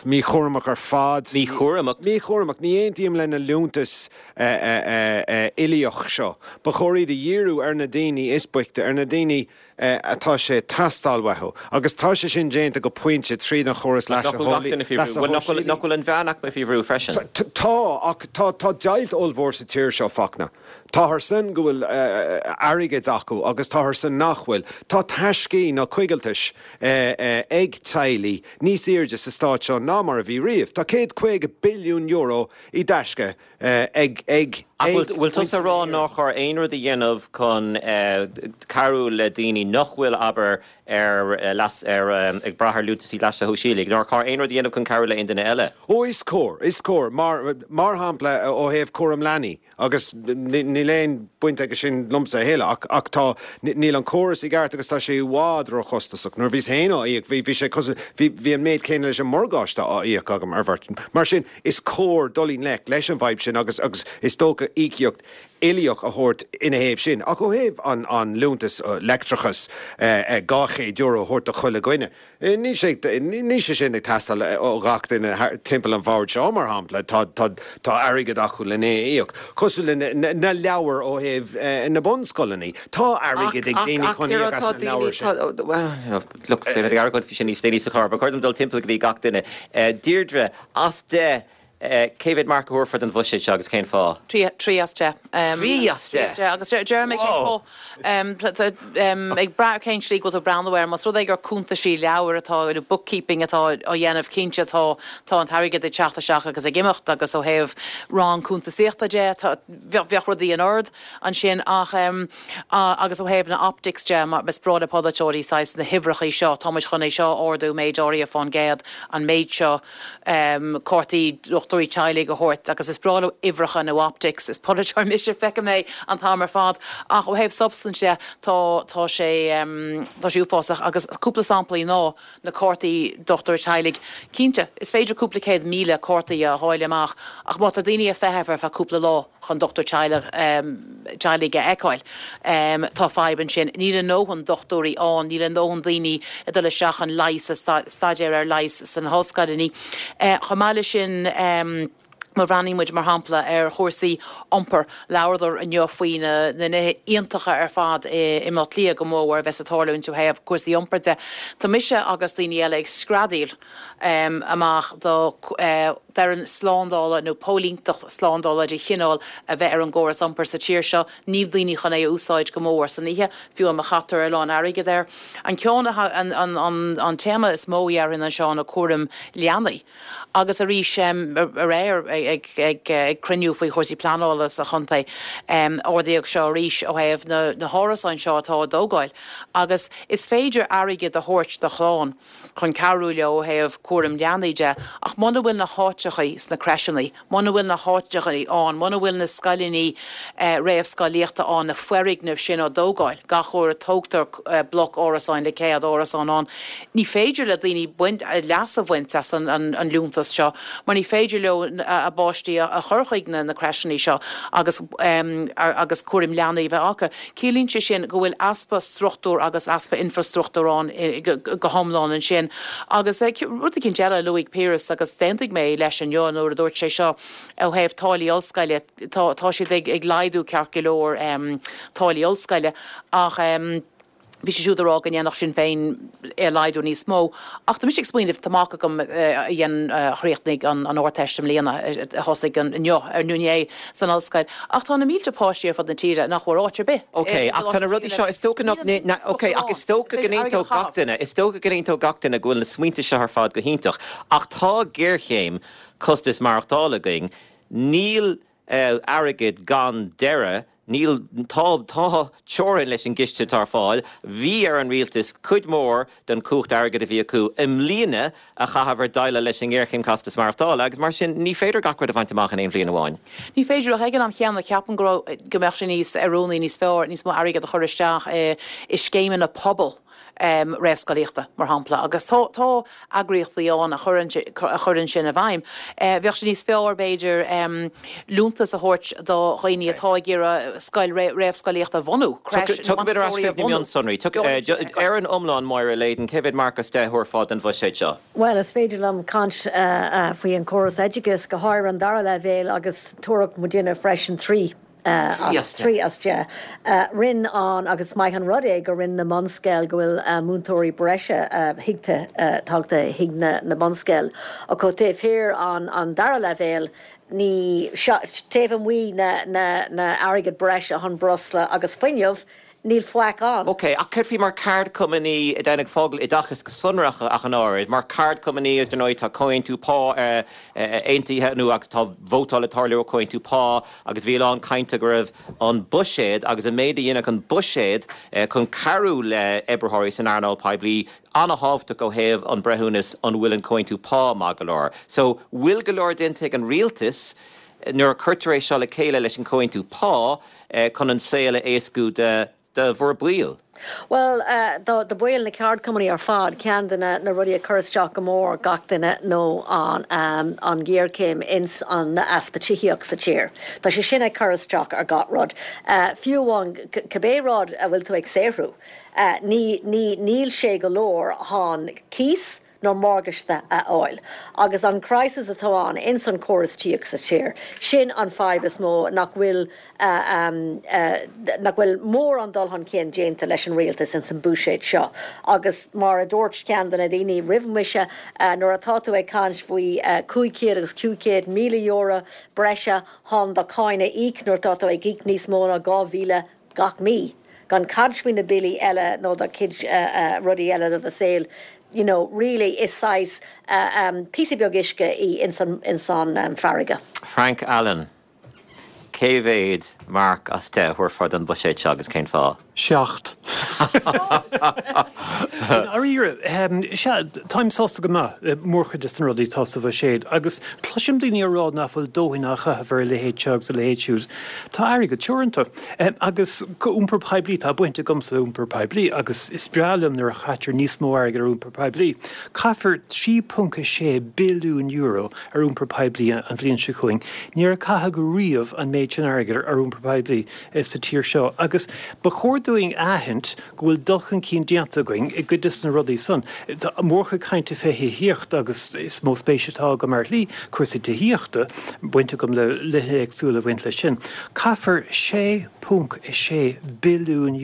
S5: míchúramach ar fad.
S1: Míchúramach?
S5: Míchúramach. Ní aontaím le na liúntais uilíoch seo. Ba chóir iad a dhíriú ar na daoine is boichte, ar na daoine atá sé ag teastáil uathu. Agus tá sé sin déanta go pointe tríd an chóras
S1: leasa shóisialaigh. Nach bhfuil an mheánaicme faoi bhrú freisin?
S5: Tá, ach tá tá deighilt ollmhór sa tír seo, Fachtna. Táthar san go bhfuil airgead acu agus táthar san nach bhfuil. Tá taiscí nó coigiltis ag teaghlaigh níos airde sa stát seo ná mar a bhí riamh. Tá €150 billiún i dtaisce ag ag
S1: Ach bhfuil tusa ag rá nár chóir aon rud a dhéanamh chun cabhrú le daoine nach bhfuil, abair, ar leas, ar, ag brath ar liúntaisí leasa shóisialaigh? Nár chóir aon rud a dhéanamh chun cabhrú le aon duine eile?
S5: Ó, is cóir, is cóir. Mar, mar shampla, ó thaobh cúram leanaí, agus níl aon baint aige sin liomsa a thuilleadh, ach, ach tá, níl an córas i gceart agus tá sé i bhfad róchostasach. Nuair a bhíos féin á íoc, bhí, bhí sé cosúil, bhí, bhí an méid céanna leis an morgáiste á íoc agam ar bheirt. Mar sin, Is cóir dul i ngleic leis an bhfadhb sin agus agus is dócha íocaíocht uilíoch a thabhairt ina thaobh sin. Ach ó thaobh an an liúntas leictreachais €200 a thabhairt do chuile dhuine, níl sé níl sé sin ag teastáil ó ghach duine timpeall an bhoird seo, mar shampla. Tá tá tá airgead acu len é a íoc. Cosúil le na na leabhair ó thaobh na bunscoileanna. Tá airgead ag daoine chun íoc as na leabhair
S1: sin. Look, beidh mé ag argóint faoi sin níos déanaí sa chlár. Ba chóir dom dul timpeall go dtí gach duine. Deirdre, as 10. Cé mhéad marc a thabharfá don bhuiséad seo agus cén fáth?
S6: 3 as 10.
S1: 3 as 10?
S6: Agus déarfaidh mé cén fáth. Ag brath ar cén tslí go bhfuil tú ag breathnú air, más rud é gur cuntaisí leabhair atá, nó bookkeeping atá á dhéanamh, cinnte tá tá an t-airgead ag teacht isteach agus ag imeacht agus ó thaobh rang cuntasaíochta de, tá, bheadh rudaí in ord ansin ach agus ó thaobh na optics de, is breá le polaiteoirí saghas na huimhreachaí seo, tá muid chun é seo a ardú méid áirithe fán gcéad, an méid seo. cártaí dochtúirí teaghlaigh a thabhairt agus is breá leo uimhreacha nó optics, is polaiteoir mise, feicim é an t-am ar fad. Ach ó thaobh substaint de, tá, tá sé, tá sé uafásach agus cúpla samplaí ná na cártaí dochtúir teaghlaigh. Cinnte, is féidir cúpla 100,000 cártaí a dháileadh amach ach má tá daoine ag feitheamh ar feadh cúpla lá chun dochtúir teaghlaigh, teaghlaigh a fheiceáil, tá fadhb ansin. Níl a ndóthain dochtúirí ann, níl a ndóthain daoine ag dul isteach chun leigheas, staidéar ar leigheas sna hollscoileanna. Chomh maith leis sin, má bhreathnaíonn muid, mar shampla, ar chúrsaí iompair, labhradar inniu faoi na nithe iontacha ar fad i mBaile Átha Cliath go mór a bheas ag tarlúint ó thaobh cúrsaí iompair de. Tá mise agus daoine eile ag screadaíl amach do fhoireann slándála nó póilínteacht slándála de chineál a bheith ar an gcóras iompair sa tír seo. Níl daoine chun é a úsáid go mór san oíche, fiú má chaitear a lán airgid air. An ceann, an téama is mó a dhéarfainn anseo ná cúram leanaí. Agus arís, aréir ag cruinniú faoi chúrsaí pleanála sa chontae, ardaíodh seo arís ó thaobh na hárasáin seo atá á dtógáil. Agus is féidir airgead a thabhairt do chlann. chun cabhrú leo ó thaobh cúram leanaí de, ach muna bhfuil na háiteachaí sna crècheannaí, muna bhfuil na háiteachaí ann, muna bhfuil na scoileannaí réamhscolaíochta ann, na foirgnimh sin á dtógáil, gach uair a tógtar bloc árasáin le 100 árasán ann, ní féidir le daoine baint, leas a bhaint as an liúntas seo mar ní féidir leo a bpáistí a chur chuig na crècheannaí seo agus agus cúram leanaí a bheith acu. Ciallaíonn sé sin go bhfuil easpa struchtúr agus easpa infreastruchtúr ann go hiomlán ansin. Agus rud eicínt eile a luaigh Piaras agus d'aontaigh mé leis inniu nuair a dúirt sé seo ó thaobh táillí ollscoile, tá tá siad ag laghdú ceart go leor táillí ollscoile ach bhí sé siúd ag rá go ndéanfadh Sinn Féin é a laghdú níos mó. Ach tá mise ag smaoineamh, tá mac agam a dhein, a chríochnaigh an Ardteist i mbliana, a thosaigh inniu, ar nó inné, san ollscoil. Ach tá na mílte páistí ar fud na tíre nach bhfuair áit ar bith
S1: Ok, ach tá na rudaí seo, is dócha nach, ok, ach is dócha go n-aontódh gach duine, is dócha go n-aontódh gach duine go bhfuil na smaointe seo ar fad go hiontach, ach tá géarchéim costas maireachtála againn, níl airgead gan deireadh, níl, tá, tá teorainn leis an gciste atá ar fáil, bhí ar an rialtas cuid mhór den chumhacht airgid a bhí acu i mbliana a chaitheamh ar déileáil leis an ngéarchéim costas maireachtála agus mar sin ní féidir gach rud a bhaint amach in aon bhliain amháin.
S6: Ní féidir ach ag an am chéanna ceapaim go raibh, go mbeadh sé níos oiriúnaí, níos fearr, níos mó airgead a chur isteach i i scéimeanna pobail réamhscolaíochta, mar shampla, agus tá tá eagraíochtaí ann a chuireann a chuireann sin i bhfeidhm. Bheadh sé níos fearr, b'fhéidir, liúntas a thabhairt do dhaoine atá ag iarraidh scoil réamhscolaíochta a bhunú, crèche
S1: nó Tugaimid ar ais chuig na mionsonraí. Ar an iomlán, Máire Leyden, cé mhéad marc as 10 a thabharfá don bhuiséad seo?
S7: Bhuel, is féidir liom caint faoi an córas oideachais, go háirithe an dara leibhéal agus tabharfadh muidinne freisin 3. 3 as 10. Rinne an, agus is maith an rud é gur rinne na bunscoil, go bhfuil múinteoirí breise thigte, tagtha chuig na bunscoil. Ach ó taobh thiar an dara leibhéal, ní, taobh amuigh na, na, na airgead breise chun breosla agus fuinneamh, níl faic ann.
S1: Ok, ach céard faoi mar ceardchumannaí, ag fágáil oideachas go sonrach ach an oiread, mar ceardchumannaí, is ar ndóigh tá comhaontú pá aontaithe nó agus tá vótáil ag tarlú ar chomhaontú pá agus bhí a lán cainte go raibh an buiséad agus an méid a dhéanfadh an buiséad chun cabhrú le oibritheoirí san earnáil poiblí an-thábhachtach ó thaobh an breithiúnas an bhfuil an comhaontú pá maith go leor. So, bhfuil go leor déanta ag an rialtas nuair a cuirtear é seo le chéile leis an comhaontú pá chun an saol a éascú do do bhur baill?
S7: Bhuel, do do baill na ceardchumannaí ar fad, ceann de na na rudaí a chuir isteach go mór gach duine nó an an ghéarchéim ins an easpa tithíocht sa tír. Tá sé sin ag cur isteach ar gach rud. Fiú amháin cibé rud a bhfuil tú ag saothrú, ní ní níl sé go leor chun cíos. nó morgáiste a fháil. Agus an crisis atá ann ins an córas tíocht sa tír, sin an fadhb is mó nach bhfuil nach bhfuil mórán dul chun cinn déanta leis an rialtas ins an buiséad seo. Agus mar a dúirt ceann de na daoine roimh mise, nuair atá tú ag caint faoi 500 agus €500,000 breise chun do cháin a íoc nuair atá tú ag íoc níos mó ná 2,000 gach mí, gan caint faoi na billí eile nó do chuid rudaí eile do do saol, you know, really is saghas píosa beag uisce í ins an farraige.
S1: Frank Allen, Cé mhéad marc as 10 a thabharfá don bhuiséad seo agus cén fáth?
S8: 7. I ndáiríre, sea, táim sásta go maith le mórchuid de na rudaí atá sa bhuiséad agus cloisim daoine ag rá nach bhfuil dóthain á chaitheamh ar a leithéid seo agus a leithéid siúd. Tá airgead teoranta. Agus iompar poiblí, tá baint agamsa le iompar poiblí agus is breá liom nuair a chaitear níos mó airgid ar iompar poiblí. Caithfear €3.6 billiún ar iompar poiblí an bhliain seo chugainn. Níor caitheadh riamh an méid sin airgid ar iompar poiblí sa tír seo agus ba chóir dúinn a aithint go bhfuil dul chun cinn déanta againn i gcuid de na rudaí san. Tá mórchuid cainte fé thithíocht agus is mó spéis atá agam ar shlí cúrsaí tithíochta, baint agam le nithe éagsúla a bhaint leis sin. Caithfear €6.6 billiún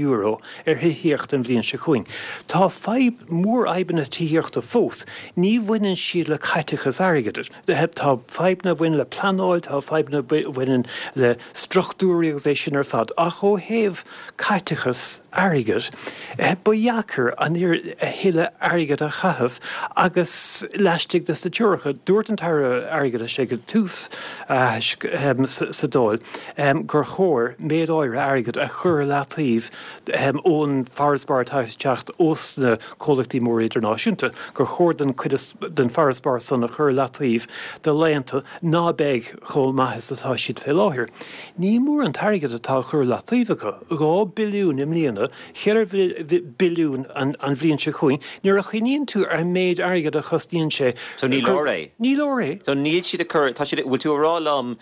S8: ar thithíocht an bhliain seo chugainn. Tá fadhb, mórfhadhbanna tithíochta fós. Ní bhaineann siad le caiteachas airgid. Tá fadhbanna a bhaineann le pleanáil, tá fadhbanna a bhaineann le struchtúirí agus é sin ar fad. Ach ó thaobh caiteachas airgid, ba dheacair a thuilleadh airgid a chaitheamh agus laistigh de na teoracha. Dúirt an tAire Airgeadais ag tús a aithisc sa Dáil gur chóir méid áirithe airgid a chur i leataobh ón bhfarasbarr atá ag teacht ós na comhlachtaí móra idirnáisiúnta, gur chóir don cuid den bhfarasbarr san a chur i leataobh do laethanta ná beidh chomh maith is atá siad fé láthair. Ní mór an t-airgead atá á chur i leataobh acu, 2 billiún i mbliana, 4 billiún an bhliain seo chugainn, nuair a chuimhníonn tú ar an méid airgid a chosnaíonn sé.
S1: So ní leor é?
S8: Ní leor é.
S1: So níl siad ag cur, tá siad, bhfuil tú a rá liom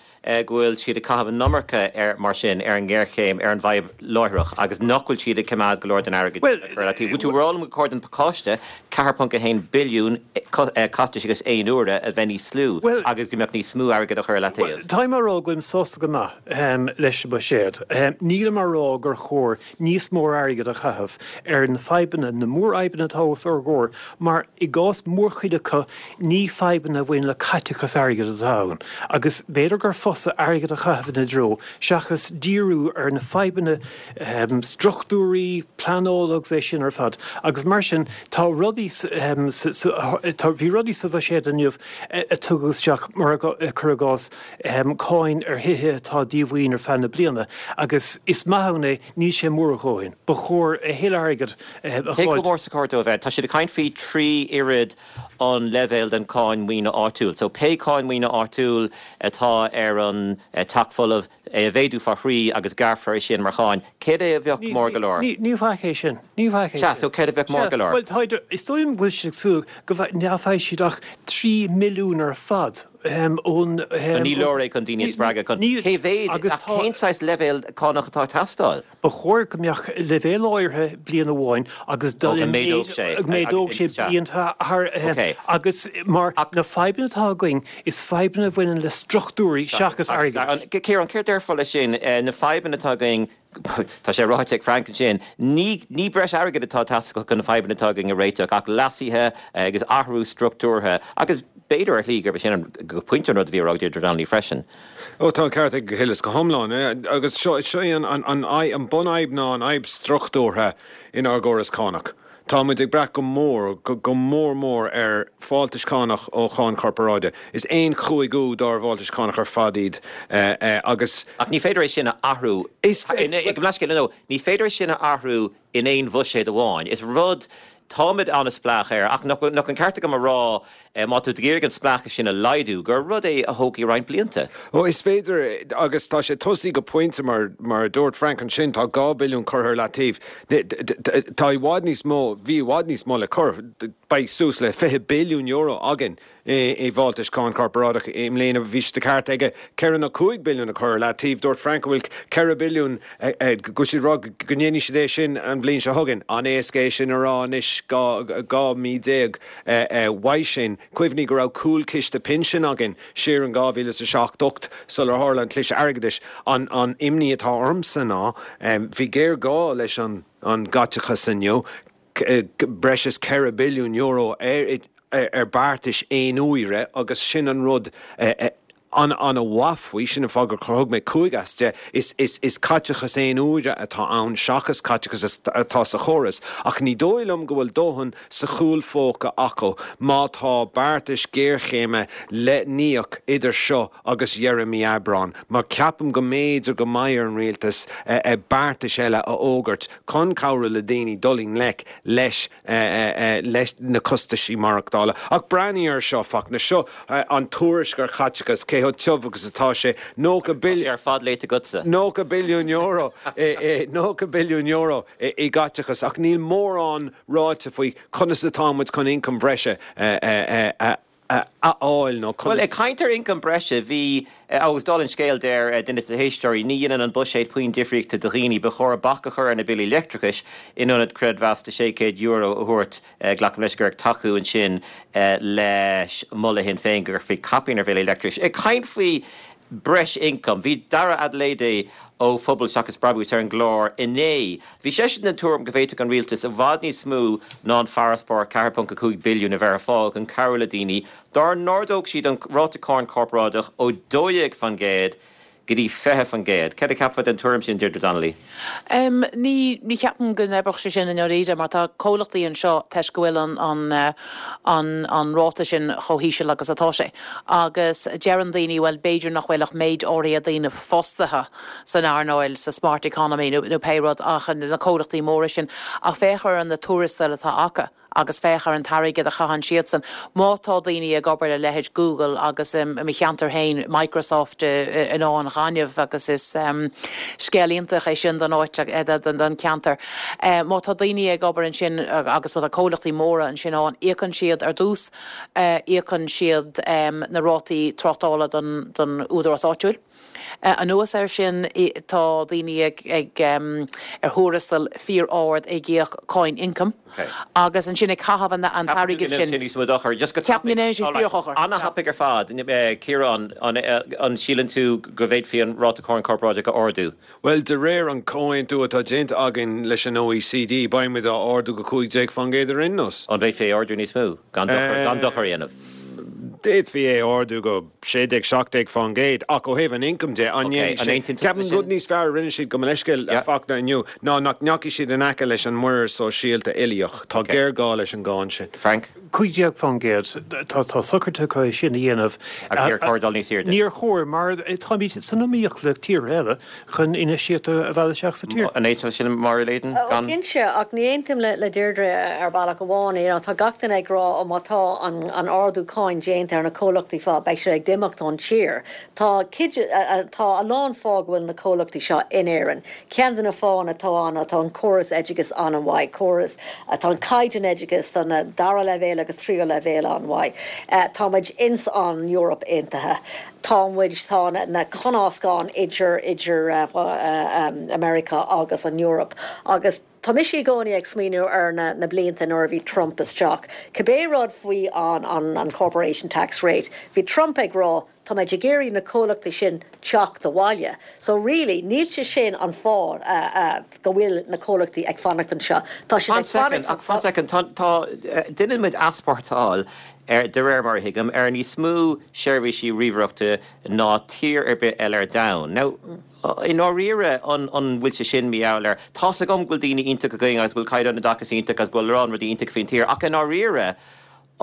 S1: go bhfuil siad ag caitheamh an iomarca ar, mar sin, ar an ngéarchéim, ar an bhfadhb láithreach agus nach bhfuil siad ag coimeád go leor den airgead sin le cur i leataobh. Bhfuil tú a rá liom gur chóir don phacáiste 4.1 billiún costais agus aon uaire a bheith níos lú agus go mbeadh níos mó airgid á chur i leataobh?
S8: Bhuel, táim á rá go bhfuilim sásta go maith leis an mbuiséad. Nílim á rá gur chóir níos mó airgid a chaitheamh ar na fadhbanna, na mórfhadhbanna atá os ár gcomhair, mar i gcás mórchuid acu, ní fadhbanna a bhaineann le caiteachas airgid atá ann. Agus b'fhéidir gur fusa airgead a chaitheamh ina dtreo seachas díriú ar na fadhbanna struchtúraí, pleanála agus é sin ar fad. Agus mar sin, tá rudaí sa, bhí rudaí sa bhuiséad inniu a tugadh isteach, mar cuir i gcás, cáin ar thithe atá díomhaoin ar feadh na bliana agus is maith ann é, níl sé mór a dhóthain. Ba chóir a thuilleadh airgid a
S1: Cé chomh mór is a chóir dó a bheith? Tá siad ag caint faoi thrí oiread an leibhéal den cháin maoine áitiúil. So pé cáin maoine áitiúil atá ar an teach folamh, é a mhéadú fá thrí agus gearrfar é sin mar cháin. Céard é a bheadh mór go leor?
S8: Ní bheadh é sin. Ní bheadh é
S1: sin. Sea, so céard a bheadh mór go leor?
S8: Bhuel, tá, is dóigh liom go bhfuil siad ag súil go nach bhfaighidh siad ach 3 milliún ar fad. ón.
S1: So ní leor é chun daoine a spreagadh chun. Cé mhéad, ach cén saghas leibhéal cánach atá ag teastáil?
S8: Ba chóir go mbeadh leibhéal áirithe bliain amháin agus dul i méid, go méadódh sé blianta thar, agus mar na fadhbanna atá againn, is fadhbanna a bhaineann le struchtúirí seachas airgead.
S1: Ciarán, céard déarfá leis sin, na fadhbanna atá againn, Tá sé ráite ag Frank ansin, ní ní breis airgid atá ag teastáil chun na fadhbanna atá againn a réiteach ach leasuithe agus athrú struchtúrtha agus b'fhéidir ar shlí gurb é sin an go pointe an rud a bhí á rá ag Deirdre Donnelly freisin.
S5: Ó tá an ceart ag Hillis go hiomlán agus seo seo í an an an an bunfhadhb ná an fhadhb struchtúrtha inár gcóras cánach. Tá muid ag brath go mór, go mór mór ar fáltais cánach ó cháin chorparáide. Is aon chúigiú dár bhfáltais cánach ar fad iad agus.
S1: Ach ní féidir é sin a athrú. Is féidir. Ní féidir é sin a athrú in aon bhuiséad amháin. Is rud, táimid an-spleách air ach nach an ceart agam a rá. má tá tú ag iarraidh an spleáchas sin a laghdú, gur rud é a thógfaidh roinnt blianta.
S5: Ó, is féidir, agus tá sé tosaithe go pointe, mar, mar a dúirt Frank ansin, tá 2 billiún curtha ar leataobh. Tá i bhfad níos mó, bhí i bhfad níos mó le cur, beidh suas le €20 billiún againn i bhfáltais cáin chorparáideach i mbliana. Bhí sé de cheart aige 4 nó 5 billiún a chur ar leataobh. Dúirt Frank go bhfuil 4 billiún, go bhfuil siad ag rá go ndéanfaidh siad é sin an bhliain seo chugainn. An-éasca é sin a rá anois 12 mí uaidh sin. Cuimhnigh go raibh cúlchiste pinsin againn siar in 2007, 8 sular tharla an cliseadh airgeadais. An imní atá ormsa ná, bhí géarghá leis an gcaiteachas inniu, breis is €4 billiún ar beartais aon-uaire agus sin an rud an-mhaith faoi, sin an fáth gur thug mé 5 as 10, is caiteachas aon-uaire atá ann seachas caiteachas atá sa chóras. Ach ní dóigh liom go bhfuil dóthain sa chúl phóca acu má tá beartais géarchéime le n-íoc idir seo agus dheireadh mí Aibreáin, mar ceapaim go mb'fhéidir go mbeidh ar an rialtas beartais eile a fhógairt chun cabhrú le daoine dul i ngleic leis leis na costaisí maireachtála. Ach breathnaigh air seo, Fachtna, seo an tuairisc ar chaiteachas, cé chomh tiubh agus atá sé,
S1: 90 Tá sé ar fad léite agatsa.
S5: €90 billiún, €90 billiún i gcaiteachas, ach níl mórán ráite faoi conas atá muid chun ioncam bhreise a a fháil nó
S1: conas. Bhuel, ag caint ar ioncam breise, bhí, agus dála an scéil, deir duine de na héisteoirí, ní dhéanann an buiséad puinn difríochta do dhaoine, ba chóir bac a chur ar na billí leictreachais in ionad creidmheas de €600 a thabhairt, glacaim leis gur ag tacú ansin leis moladh Shinn Féin go gcuirfí caipín ar bhillí leictreachais. Ag caint faoi breis ioncaim, bhí Dara Adeleye ó Phobal Seachas Brabús ar an gclár inné. Bhí seisean den tuairim go bhféadfadh an rialtas i bhfad níos mó ná an farasbarr 4.5 billiún a bheith ar fáil chun cabhrú le daoine dá n-ardódh siad an ráta cáin corparáideach ó 12% go dtí 20%. Céard a cheapfá den tuairim sin, Deirdre Donnelly?
S6: Ní ní cheapaim go n-oibreodh sé sin i ndáiríre mar tá comhlachtaí anseo toisc go bhfuil an an an an ráta sin chomh híseal agus atá sé. Agus deireann daoine bhuel b'fhéidir nach bhfuil ach méid áirithe daoine fostaithe san earnáil, sa smart economy nó pé rud ach na comhlachtaí móra sin. Ach féach ar na tuarastail atá acu agus féach ar an t-airgead a chaitheann siadsan. Má tá daoine ag obair le leithéid Google agus i mo cheantar féin Microsoft in Áth an Ghainimh agus is scéal iontach é sin don áit, don cheantar. Má tá daoine ag obair ansin agus má tá comhlachtaí móra ansin ann, íocann siad ar dtús, íocann siad na rátaí tráchtála don údarás áitiúil. Anuas air sin, tá daoine ag ar thuarastal fíor-ard ag íoc cáin ioncaim agus ansin ag caitheamh an t-airgead sin.
S1: Ceapaim go ndéanann sé fíor-dhochar. Ana-thapaidh ar fad. Ciarán, an síleann tú go bhféadfaí an ráta cáin corparáideach a ardú?
S5: Bhuel, de réir an comhaontú atá déanta againn leis an OECD, beidh muid á ardú go 15% ar aon nós.
S1: An bhféadfaí é a ardú níos mó, gan dochar a dhéanamh?
S5: D'fhéadfaí é a ardú go 16, 17%, ach ó thaobh an ioncaim de, an ndéanfaidh sé? Ceapaim an rud níos fearr a rinne siad, gabh mo leithscéal, a Fachtna, inniu, ná nach ndeachaigh siad in aice leis an muirear sóisialta uilíoch. Tá géarghá leis an gcáin sin.
S1: Frank?
S8: 15%. Tá socruithe acu é sin a dhéanamh.
S1: Agus níor chóir dul níos airde.
S8: Níor chóir, mar táimid san iomaíocht le tíortha eile chun infheistíocht a mhealladh isteach sa tír.
S1: An aontaíonn tú sin, Máire Leyden?
S7: Ó, cinnte, ach ní aontaím le Deirdre ar bhealach amháin. You know, tá gach duine ag rá, ó má tá an ardú cáin déanta ar na comhlachtaí fá, beidh siad ag imeacht ón tír. Tá cuid, tá a lán fáth go bhfuil na comhlachtaí seo in Éirinn. Ceann de na fáthanna atá ann ná tá an córas oideachais an-mhaith, córas, tá an caighdeán oideachais do na dara leibhéal agus tríú leibhéal an-mhaith. Tá muid ins an Eoraip Aontaithe. Tá muid, tá na conascáin idir, idir America agus an Eoraip agus tá mise i gcónaí ag smaoineamh ar na, na blianta nuair a bhí Trump isteach. Cibé rud faoi an, an, an corporation tax rate, bhí Trump ag rá Tá muid ag iarraidh na comhlachtaí sin teacht abhaile. So really, níl sé sin an fáth go bhfuil na comhlachtaí ag fanacht anseo. Tá siad
S1: ag fanacht. Ach fan soicind, tá, tá, déanann muid easpórtáil ar, de réir mar a thuigim, ar níos mó seirbhísí ríomhaireachta ná tír ar bith eile ar domhan. Now, i ndáiríre, an, an bhfuil sé sin mar gheall air, tá's agam go bhfuil daoine iontach againn agus go bhfuil caighdeán oideachais iontach agus go bhfuil a lán rudaí iontach faoin tír, ach i ndáiríre,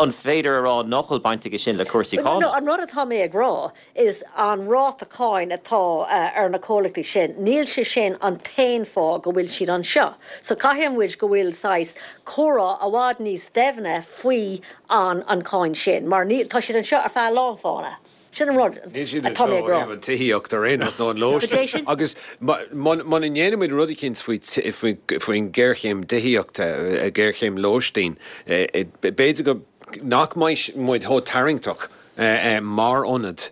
S1: An féidir a rá nach bhfuil baint aige sin le cúrsaí
S7: cánach? No, an rud atá mé ag rá is an ráta cáin atá ar na comhlachtaí sin, níl sé sin an t-aon fáth go bhfuil siad anseo. So caithfidh muid go bhfuil saghas comhrá i bhfad níos doimhne faoi an an cáin sin mar níl, tá siad anseo ar feadh a lán fáthanna. Sin an rud
S5: Níl siad
S7: atá
S5: anseo
S7: mé ag
S5: ó
S7: rá.
S5: thaobh an tithíocht ar aon nós nó an
S7: Cad é
S5: lóistín
S7: sin?
S5: agus muna ndéanaimid rud eicínt faoin ghéarchéim tithíochta, géarchéim lóistín, b'fhéidir go nach mbeidh muid chomh tarraingteach mar ionad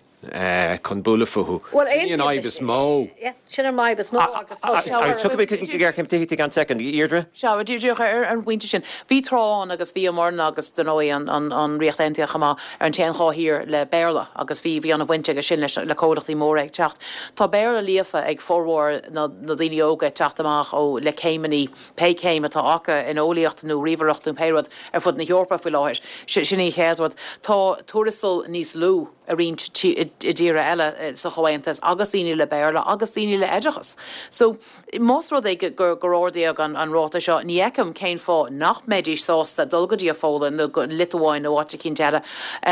S5: chun bualadh fúthu.
S7: Bhuel,
S5: Sin í an
S7: aontaím
S5: fhadhb
S7: leis.
S5: is mó.
S7: Yeah, sin an fhadhb is mó agus tá sé
S1: Agus tiocfaidh mé chuig an ghéarchéim tithíochta i gceann soicind. A Dheirdre?
S6: Sea, díreach ar an bpointe sin, bhí tráth ann agus bhíomarna agus, dar ndóigh, an Ríocht Aontaithe chomh maith, ar an t-aon dhá thír le Béarla agus bhí, bhí an-bhaint aige sin leis, le comhlachtaí móra ag teacht. Tá Béarla líofa ag formhór na, na daoine óga ag teacht amach ó, le céimeanna, pé céim atá acu in eolaíocht nó ríomhaireacht nó pé rud, ar fud na hEorpa faoi láthair. Sin í an chéad rud. Tá tuarastal níos lú i roinnt i dtíortha eile sa Chomhaontas agus daoine le Béarla agus daoine le oideachas. So, Más rud é gur ardaíodh an ráta seo, ní fheicim cén fáth nach mbeidís sásta dul go dtí an Pholainn nó go Liotuáin nó áit eicínt eile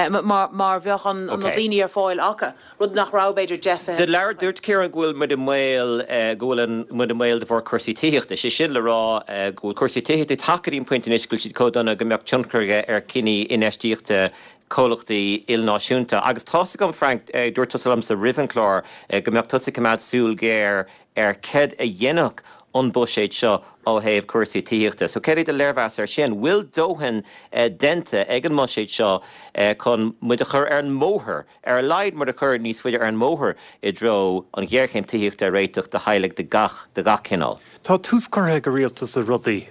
S6: mar bheadh na daoine ar fáil acu, rud nach raibh b'fhéidir 10, 20
S1: bliain ó shin. Dúirt Ciarán go bhfuil muid i mbaol, go bhfuil muid i mbaol de bharr cúrsaí tithíochta, sé sin le rá go bhfuil cúrsaí tithíochta ag teacht go dtí an pointe anois go bhfuil siad chomh dona go mbeadh tionchar aige ar chinní infheistíochta comhlachtaí ilnáisiúnta. Agus tá's agam, Frank, dúirt tusa liomsa roimh an chlár go mbeadh tusa ag coimeád súil ghéar ar céard a dhéanfadh an buiséad seo ó thaobh cúrsaí tithíochta. So céard é do léirmheas air sin? Bhfuil dóthain déanta ag an mbuiséad seo chun muid a chur ar an mbóthar, ar a laghad muid a chur níos faide ar an mbóthar i dtreo an ghéarchéim tithíochta a réiteach do theaghlaigh de gach de gach cineál?
S8: Tá tús curtha ag an rialtas le rudaí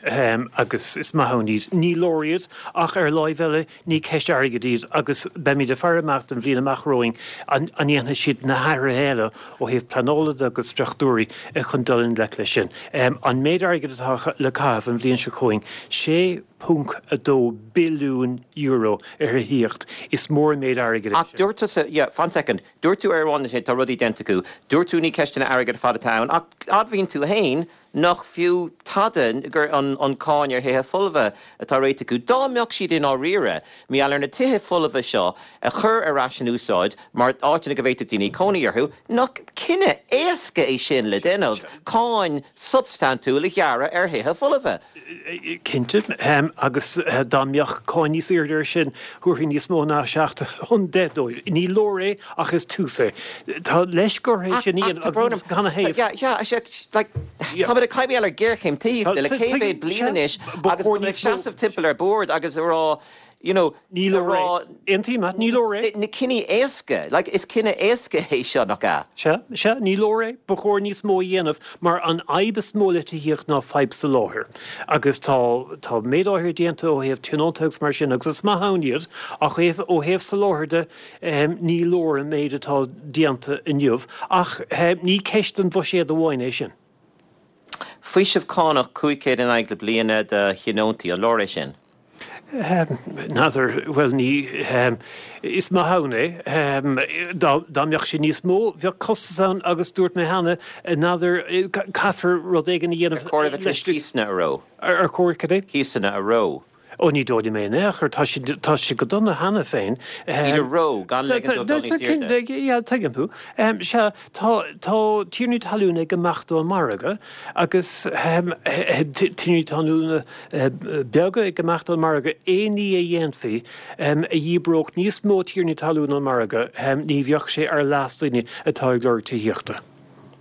S8: agus is maith ann iad. Ní leor iad ach ar láimh eile Ní ceist airgid iad agus beimid ag faire amach don bhliain amach romhainn an ndéanfaidh siad na hathruithe eile ó thaobh pleanála de agus struchtúirí chun dul i ngleic leis sin. An méid airgid atá le caitheamh an bhliain seo chugainn, €6.2 billiún ar thithíocht, is mór an méid airgid é
S1: Ach
S8: sin.
S1: dúirt tusa, yeah, fan soicind, dúirt tú ar amháin tá rudaí déanta acu, dúirt tú ní ceisteanna airgid ar fad atá ann ach admhaíonn tú féin nach fiú tada gur an an cáin ar thithe folmha atá réitithe acu. Dá mbeadh siad i ndáiríre mar gheall ar na tithe folmha seo a chur ar ais in úsáid mar áiteanna go bhféadfadh daoine cónaí orthu, nach cinneadh éasca é sin le déanamh, cáin substaintiúil a ghearradh ar thithe folmha?
S8: Cinnte, agus dá mbeadh cáin níos airde air sin, thabharfaí níos mó ná 7 chun 10 dóibh. Ní leor é, ach is tús é. Tá leisce orthu é sin a dhéanamh agus canathaobh?
S1: Táimid ag caint ar ghéarchéim tithíochta le cé mhéad bliain anois agus táimid ag seasamh timpeall ar bord agus ag rá, you know,
S8: Ní leor é. Aontaím leat, ní leor é.
S1: Na cinní éasca, like, is cinneadh éasca é seo, nach ea?
S8: Sea, sea, ní leor é. Ba chóir níos mó a dhéanamh, mar an fhadhb is mó le tithíocht ná fadhb soláthair. Agus tá, tá méid áirithe déanta ó thaobh tionónta agus mar sin, agus is maith ann iad, ach ó thaobh soláthair de, ní leor an méid atá déanta inniu. Ach ní ceist an bhuiséid amháin é sin.
S1: Faoiseamh cánach 500 in aghaidh na bliana do thionóntaí, an leor é sin?
S8: N'fheadar, bhuel ní, is maith ann é. Dá mbeadh sé níos mó, bheadh costas ann agus dúirt mé cheana, n'fheadar, caithfear rud éigin a dhéanamh
S1: Ar chóir a bheith tar éis cíosanna a reo?
S8: Ar chóir cad é?
S1: Cíosanna a reo.
S8: Ó ní dóigh liom é in aon chor, tá siad, tá siad go dona cheana féin.
S1: Iad a reo, gan ligean dóibh dul níos airde.
S8: Yeah, tuigim thú. Sea, tá, tá tiarnaí talún ag imeacht ón margadh agus tiarnaí talún beaga ag imeacht ón margadh, aon ní a dhéanfaí a dhíbreodh níos mó tiarnaí talún ón margadh, ní bheadh sé ar leas daoine atá ag lorg tithíochta.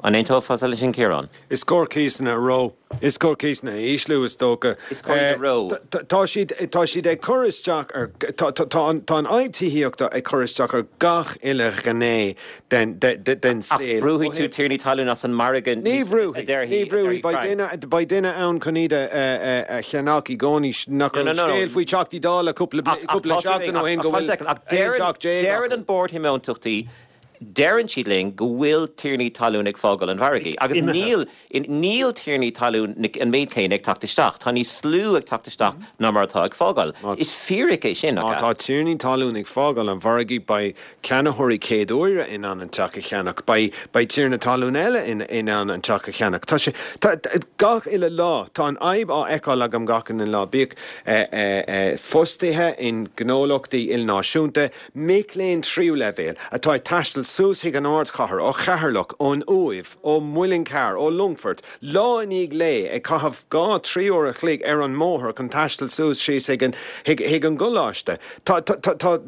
S1: An aontófá leis sin, Ciarán?
S5: Is cóir cíosanna a reo. Is cóir cíosanna a ísliú, is dócha.
S1: Is cóir iad a reo.
S5: Tá siad, tá siad ag cur isteach ar, tá, tá, tá an, tá an fhadhb tithíochta ag cur isteach ar gach uile ghné den, de, de, den
S1: Ach
S5: saol.
S1: brúfaidh tú tiarnaí talún as an margadh
S5: Ní
S1: níos, a
S5: bhrúfaidh, ní
S1: déarfaidh, a
S5: bhrúfaidh.
S1: déarfaidh
S5: Beidh
S1: Frank.
S5: duine, beidh duine ann chun iad a, a, a cheannach i gcónaí. Nach
S1: No,
S5: raibh
S1: no,
S5: an
S1: no, no.
S5: scéal faoi Teachtaí Dála cúpla,
S1: Ach, ach
S5: cúpla
S1: tá,
S5: seachtain ó shin
S1: ach
S5: go
S1: fan
S5: bhfuil
S1: second, ach
S5: 11
S1: deireann,
S5: teach
S1: deireann
S5: acu.
S1: an Bord Thionóntachtaí. Deireann siad linn go bhfuil tiarnaí talún ag fágáil an mhargaidh agus níl, níl tiarnaí talún an méid céanna ag teacht isteach. Tá níos lú ag teacht isteach ná mar atá ag fágáil. Is fíric é sin,
S5: nach ea? Má tá tiarnaí talún ag fágáil an mhargaidh, beidh ceannaitheoirí céad uaire in ann an teach a cheannach. Beidh, beidh tiarna talún eile in, in ann an teach a cheannach. Tá sé, tá, gach uile lá, tá an fhadhb á fheiceáil agam gach uile lá, bíodh fostaithe in gnólachtaí ilnáisiúnta, Mic léinn tríú leibhéal atá ag taisteal suas chuig an ardchathair ó Cheatharlach, ón Uaimh, ó Mhuileann Cearr, ó Longfort, lá i ndiaidh lae, ag caitheamh 2, 3 uair a chloig ar an mbóthar chun taisteal suas síos chuig an, chuig an gcoláiste. Tá, tá, tá,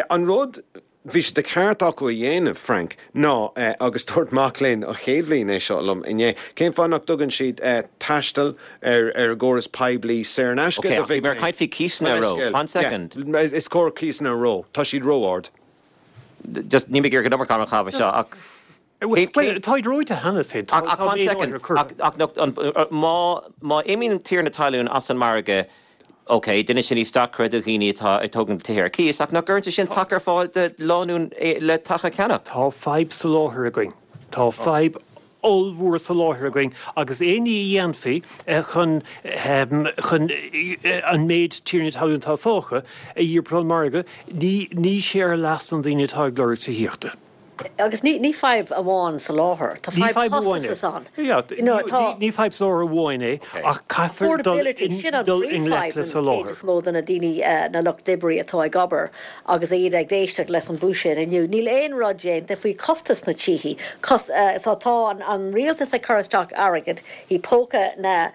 S5: an rud, bhí sé de cheart acu a dhéanamh, Frank, ná, agus dúirt mac léinn an chéad bhliain é seo liom inné, cén fáth nach dtugann siad taisteal ar an gcóras poiblí saor in aisce
S1: do mhic léinn? Ok, ach bhí mé ag caint faoi cíosanna ró, fan soicind.
S5: Is cóir cíosanna ró, tá siad ró-ard.
S1: Just, níl mé ag iarraidh an iomarca ama a chaitheamh anseo ach
S8: Bhuel, táid reoite cheana féin, tá
S1: Ach fan soicind, ach má, má imíonn tiarna talún as an margadh, Ok, déanann sé níos deacra do dhaoine atá ag tógaint tithe ar cíos, ach nach gcuireann sé sin taca ar fáil do lánúin le teach a cheannach?
S8: Tá fadhb soláthair againn. Tá fadhb ollmhór soláthair againn agus aon ní a dhéanfaí chun chun an méid tiarnaí talún atá fágtha a dhíbirt ón margadh, ní ní sé ar leas na ndaoine atá ag lorg tithíochta.
S7: Agus ní fadhb amháin soláthair, tá fadhb costais ann.
S8: Ní fadhb soláthair amháin é ach caithfear dul i ngleic le soláthar.
S7: Cuid is mó de na daoine, na lucht oibrí atá ag obair agus iad ag éisteacht leis an bhuiséad inniu, níl aon rud déanta faoi chostas na tithe. So tá an rialtas ag cur isteach airgead i póca na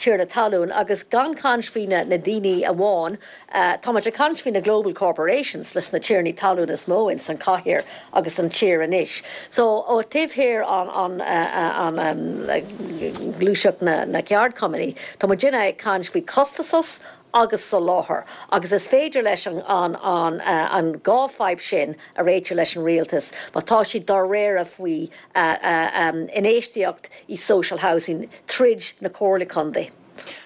S7: tiarna talún agus gan caint faoi na daoine amháin, Táimid ag caint faoi na global corporations leis na tiarnaí talún is mó ins an chathair agus an tír anois. So ó taobh thiar an an gluaiseacht na na ceardchumannaí, tá muidinne ag caint faoi costasas agus soláthar agus is féidir leis an an an an dhá fadhb sin a réiteach leis an rialtas má tá siad dáiríre faoi infheistíocht i social housing tríd na comhairle contae.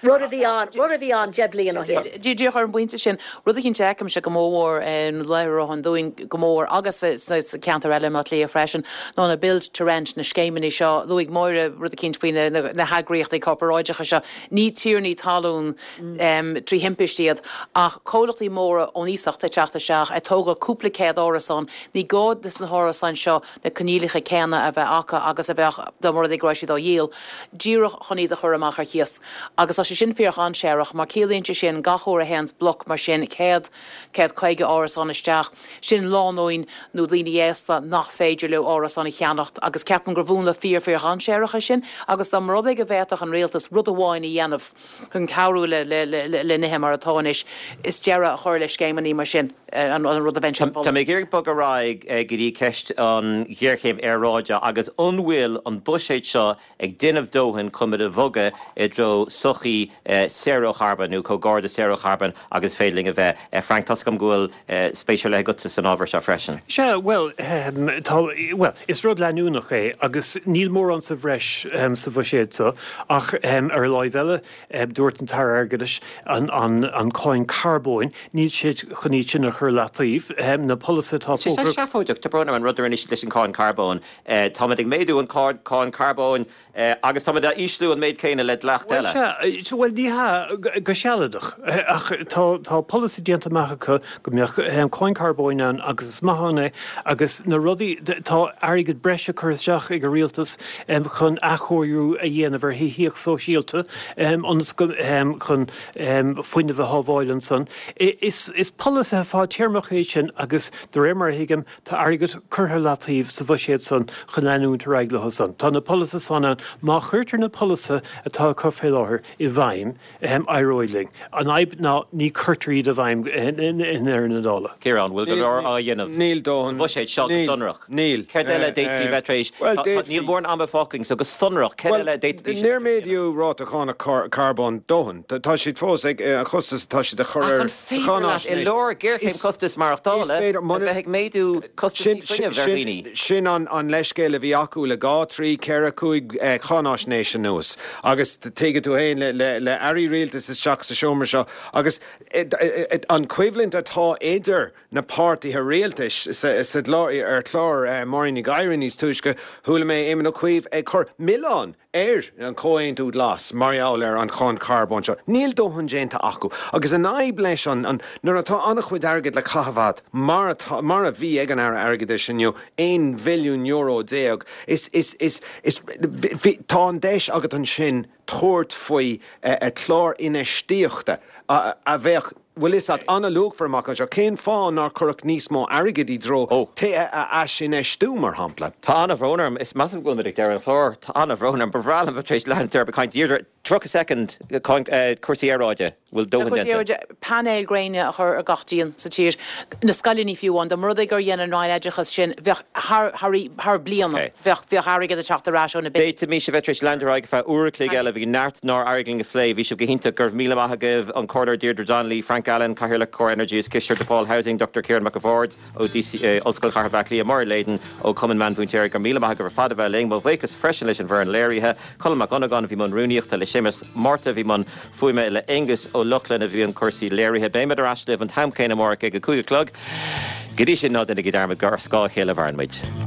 S7: Rud a bhí ann, rud a bhí ann 10 bliain ó shin.
S6: Díreach ar an bpointe sin, rud eicínt a fheicimse go mór mhór i Ráth an Dúin go mór agus sa ceantar eile i mBaile Átha Cliath freisin, ná na build to rent, na scéimeanna seo. Luaigh Máire rud eicínt faoi na heagraíochtaí corparáideacha seo. Ní tiarnaí talún trí thimpist iad ach comhlachtaí móra ón iasacht ag teacht isteach ag tógáil cúpla céad árasán. Ní gá dos na hárasáin seo na coinníollacha céanna a bheith acu agus a bheadh dá mba rud é go raibh siad á dhíol, díreach chun iad a chur amach ar chíos. Agus tá sé sin fíordhainséarach mar ciallaíonn sé sin gach uair a théanns bloc mar sin, 100, 150 árasán isteach, sin lánúin nó daoine aosta nach féidir leo árasán a cheannacht agus ceapaim gur mhúnla fíor fíordhainséarach é sin agus dá mba rud é go bhféadfadh an rialtas rud amháin a dhéanamh chun cabhrú le nithe mar atá anois, is deireadh a chur le scéimeanna mar sin, an rud a bheinnse ag
S1: moladh. Tá mé ag iarraidh bogadh ar aghaidh go dtí ceist an ghéarchéim aeráide agus an bhfuil an buiséad seo ag déanamh dóthain chun muid a bhogadh i dtreo sochaí saor ó charbón nó chomh gar do saor ó charbón agus is féidir linn a bheith. Frank, tá's agam go bhfuil spéis ar leith agatsa san ábhar seo freisin.
S8: Sea, bhuel, tá, bhuel, is rud leanúnach é agus níl mórán sa bhreis sa bhuiséad seo ach ar an láimh eile, dúirt an tAire Airgeadais an, an, an cáin carbóin, níl siad chun iad sin a chur leataobh, na polasaithe atá
S1: Sé fógartha. seafóideach, tá brón orm an rud a rinne siad leis an cáin carbóin. Táimid ag méadú an cáin carbóin Agus táimid á ísliú an méid céanna le dleacht
S8: eile. Bhuel, sea, bhuel, ní hea, go sealadach. Ach tá, tá polasaí déanta amach acu go mbeadh cáin carbóin ann agus is maith ann é agus na rudaí, tá airgead breise curtha isteach ag an rialtas chun athchóiriú a dhéanamh ar thithíocht sóisialta ionas go, chun fuinneamh a shábháil ansan. Is, is polasaithe fadtéarmacha iad sin agus de réir mar a thuigim, Tá airgead curtha leataobh sa bhuiséad san chun leanúint ar aghaidh leo san. Tá na polasaithe san ann. Má chuirtear na polasaithe atá acu fé láthair i bhfeidhm, éireoidh linn. An fhadhb ná ní cuirtear iad i bhfeidhm i ndeireadh na dála.
S1: Ciarán, bhfuil go leor á dhéanamh sa bhuiséad seo go sonrach?
S5: Níl.
S1: Céard eile a d'fhéadfaí bheith tar éis, níl mórán ama fágtha againn, so go sonrach, céard eile a d'fhéadfaidís a bheith tar éis?
S5: Níor méadaíodh ráta cánach carbóin dóthain. Tá siad fós ag, an costas atá siad a chur
S1: air. Féidir leat i lár géarchéim costas maireachtála a bheith ag méadú costaisí fuinnimh ar dhaoine.
S5: Sin an leithscéal a bhí acu le 2, 3, 4, 5 cháinaisnéis anuas. Agus tuigfidh tú féin. againn le airí rialtais isteach sa seomra seo agus an choimhlint atá idir na páirtithe rialtais sa gclár, ar chlár Máirín Ní Ghadhra níos túisce, chuala mé Éamon Ó Cuív ag cur milleán ar an Chomhaontú Glas mar gheall ar an cháin charbóin seo. Níl dóthain déanta acu. Agus an fhadhb leis an, an, nuair atá an-chuid airgid le caitheamh agat, mar atá, mar a bhí ag an Aire Airgeadais inniu, €11 bhilliún, is, is, is, is, bhí, tá an deis agat ansin tabhairt faoi chlár infheistíochta a bheadh, bhfuil fhios a't, an-luachmhar amach anseo. Cén fáth nár cuireadh níos mó airgid i dtreo tithe a aisinfheistiú, mar shampla?
S1: Tá an-bhrón orm. Is measaim go bhfuil muid ag deireadh an chláir. Tá an-bhrón orm. Ba bhreá liom bheith tar éis leanúint ar ag caint. Deirdre, 30 soicind, cúrsaí aeráide. Bhfuil dóthain
S6: déanta? Cúrsaí aeráide, painéil gréine a chur ar gach díon sa tír, na scoileanna fiú amháin. Dá mba rud é gur dhein an Roinn Oideachais sin, bheadh thar, thar, thar bliana, bheadh, bheadh airgead ag teacht ar ais ó na.
S1: D'fhéadfaimis a bheith tar éis leanúint ar aghaidh ar feadh uair a chloig eile. Bhí neart nár éirigh linn a phlé. Bhí sibh go hiontach. Go raibh míle maith agaibh, an Comhairleoir Deirdre Donnelly, Frank Allen, Cathaoirleach Core Energy agus Cisteoir DePaul Housing, Dr Ciarán Mac a' Bhaird ó DC, Ollscoil Chathair Bhaile Átha Cliath, Máire Leyden ó Chumann Meánmhúinteoirí. Go raibh míle maith agaibh ar fad a bheith linn. Mo bhuíochas freisin leis an bhfoireann léirithe, Colm Mac Dhonnagáin a bhí i mbun rúnaíochta, le Séamus Márta a bhí i mbun fuaime, le Aonghus Ó Lochlainn a bhí i mbun cúrsaí léirithe. Beimid ar ais libh an t-am céanna amárach ag a 5 a chlog. Go dtí sin, ná déanaigí dearmad gur ar scáth a chéile a mhaireann muid.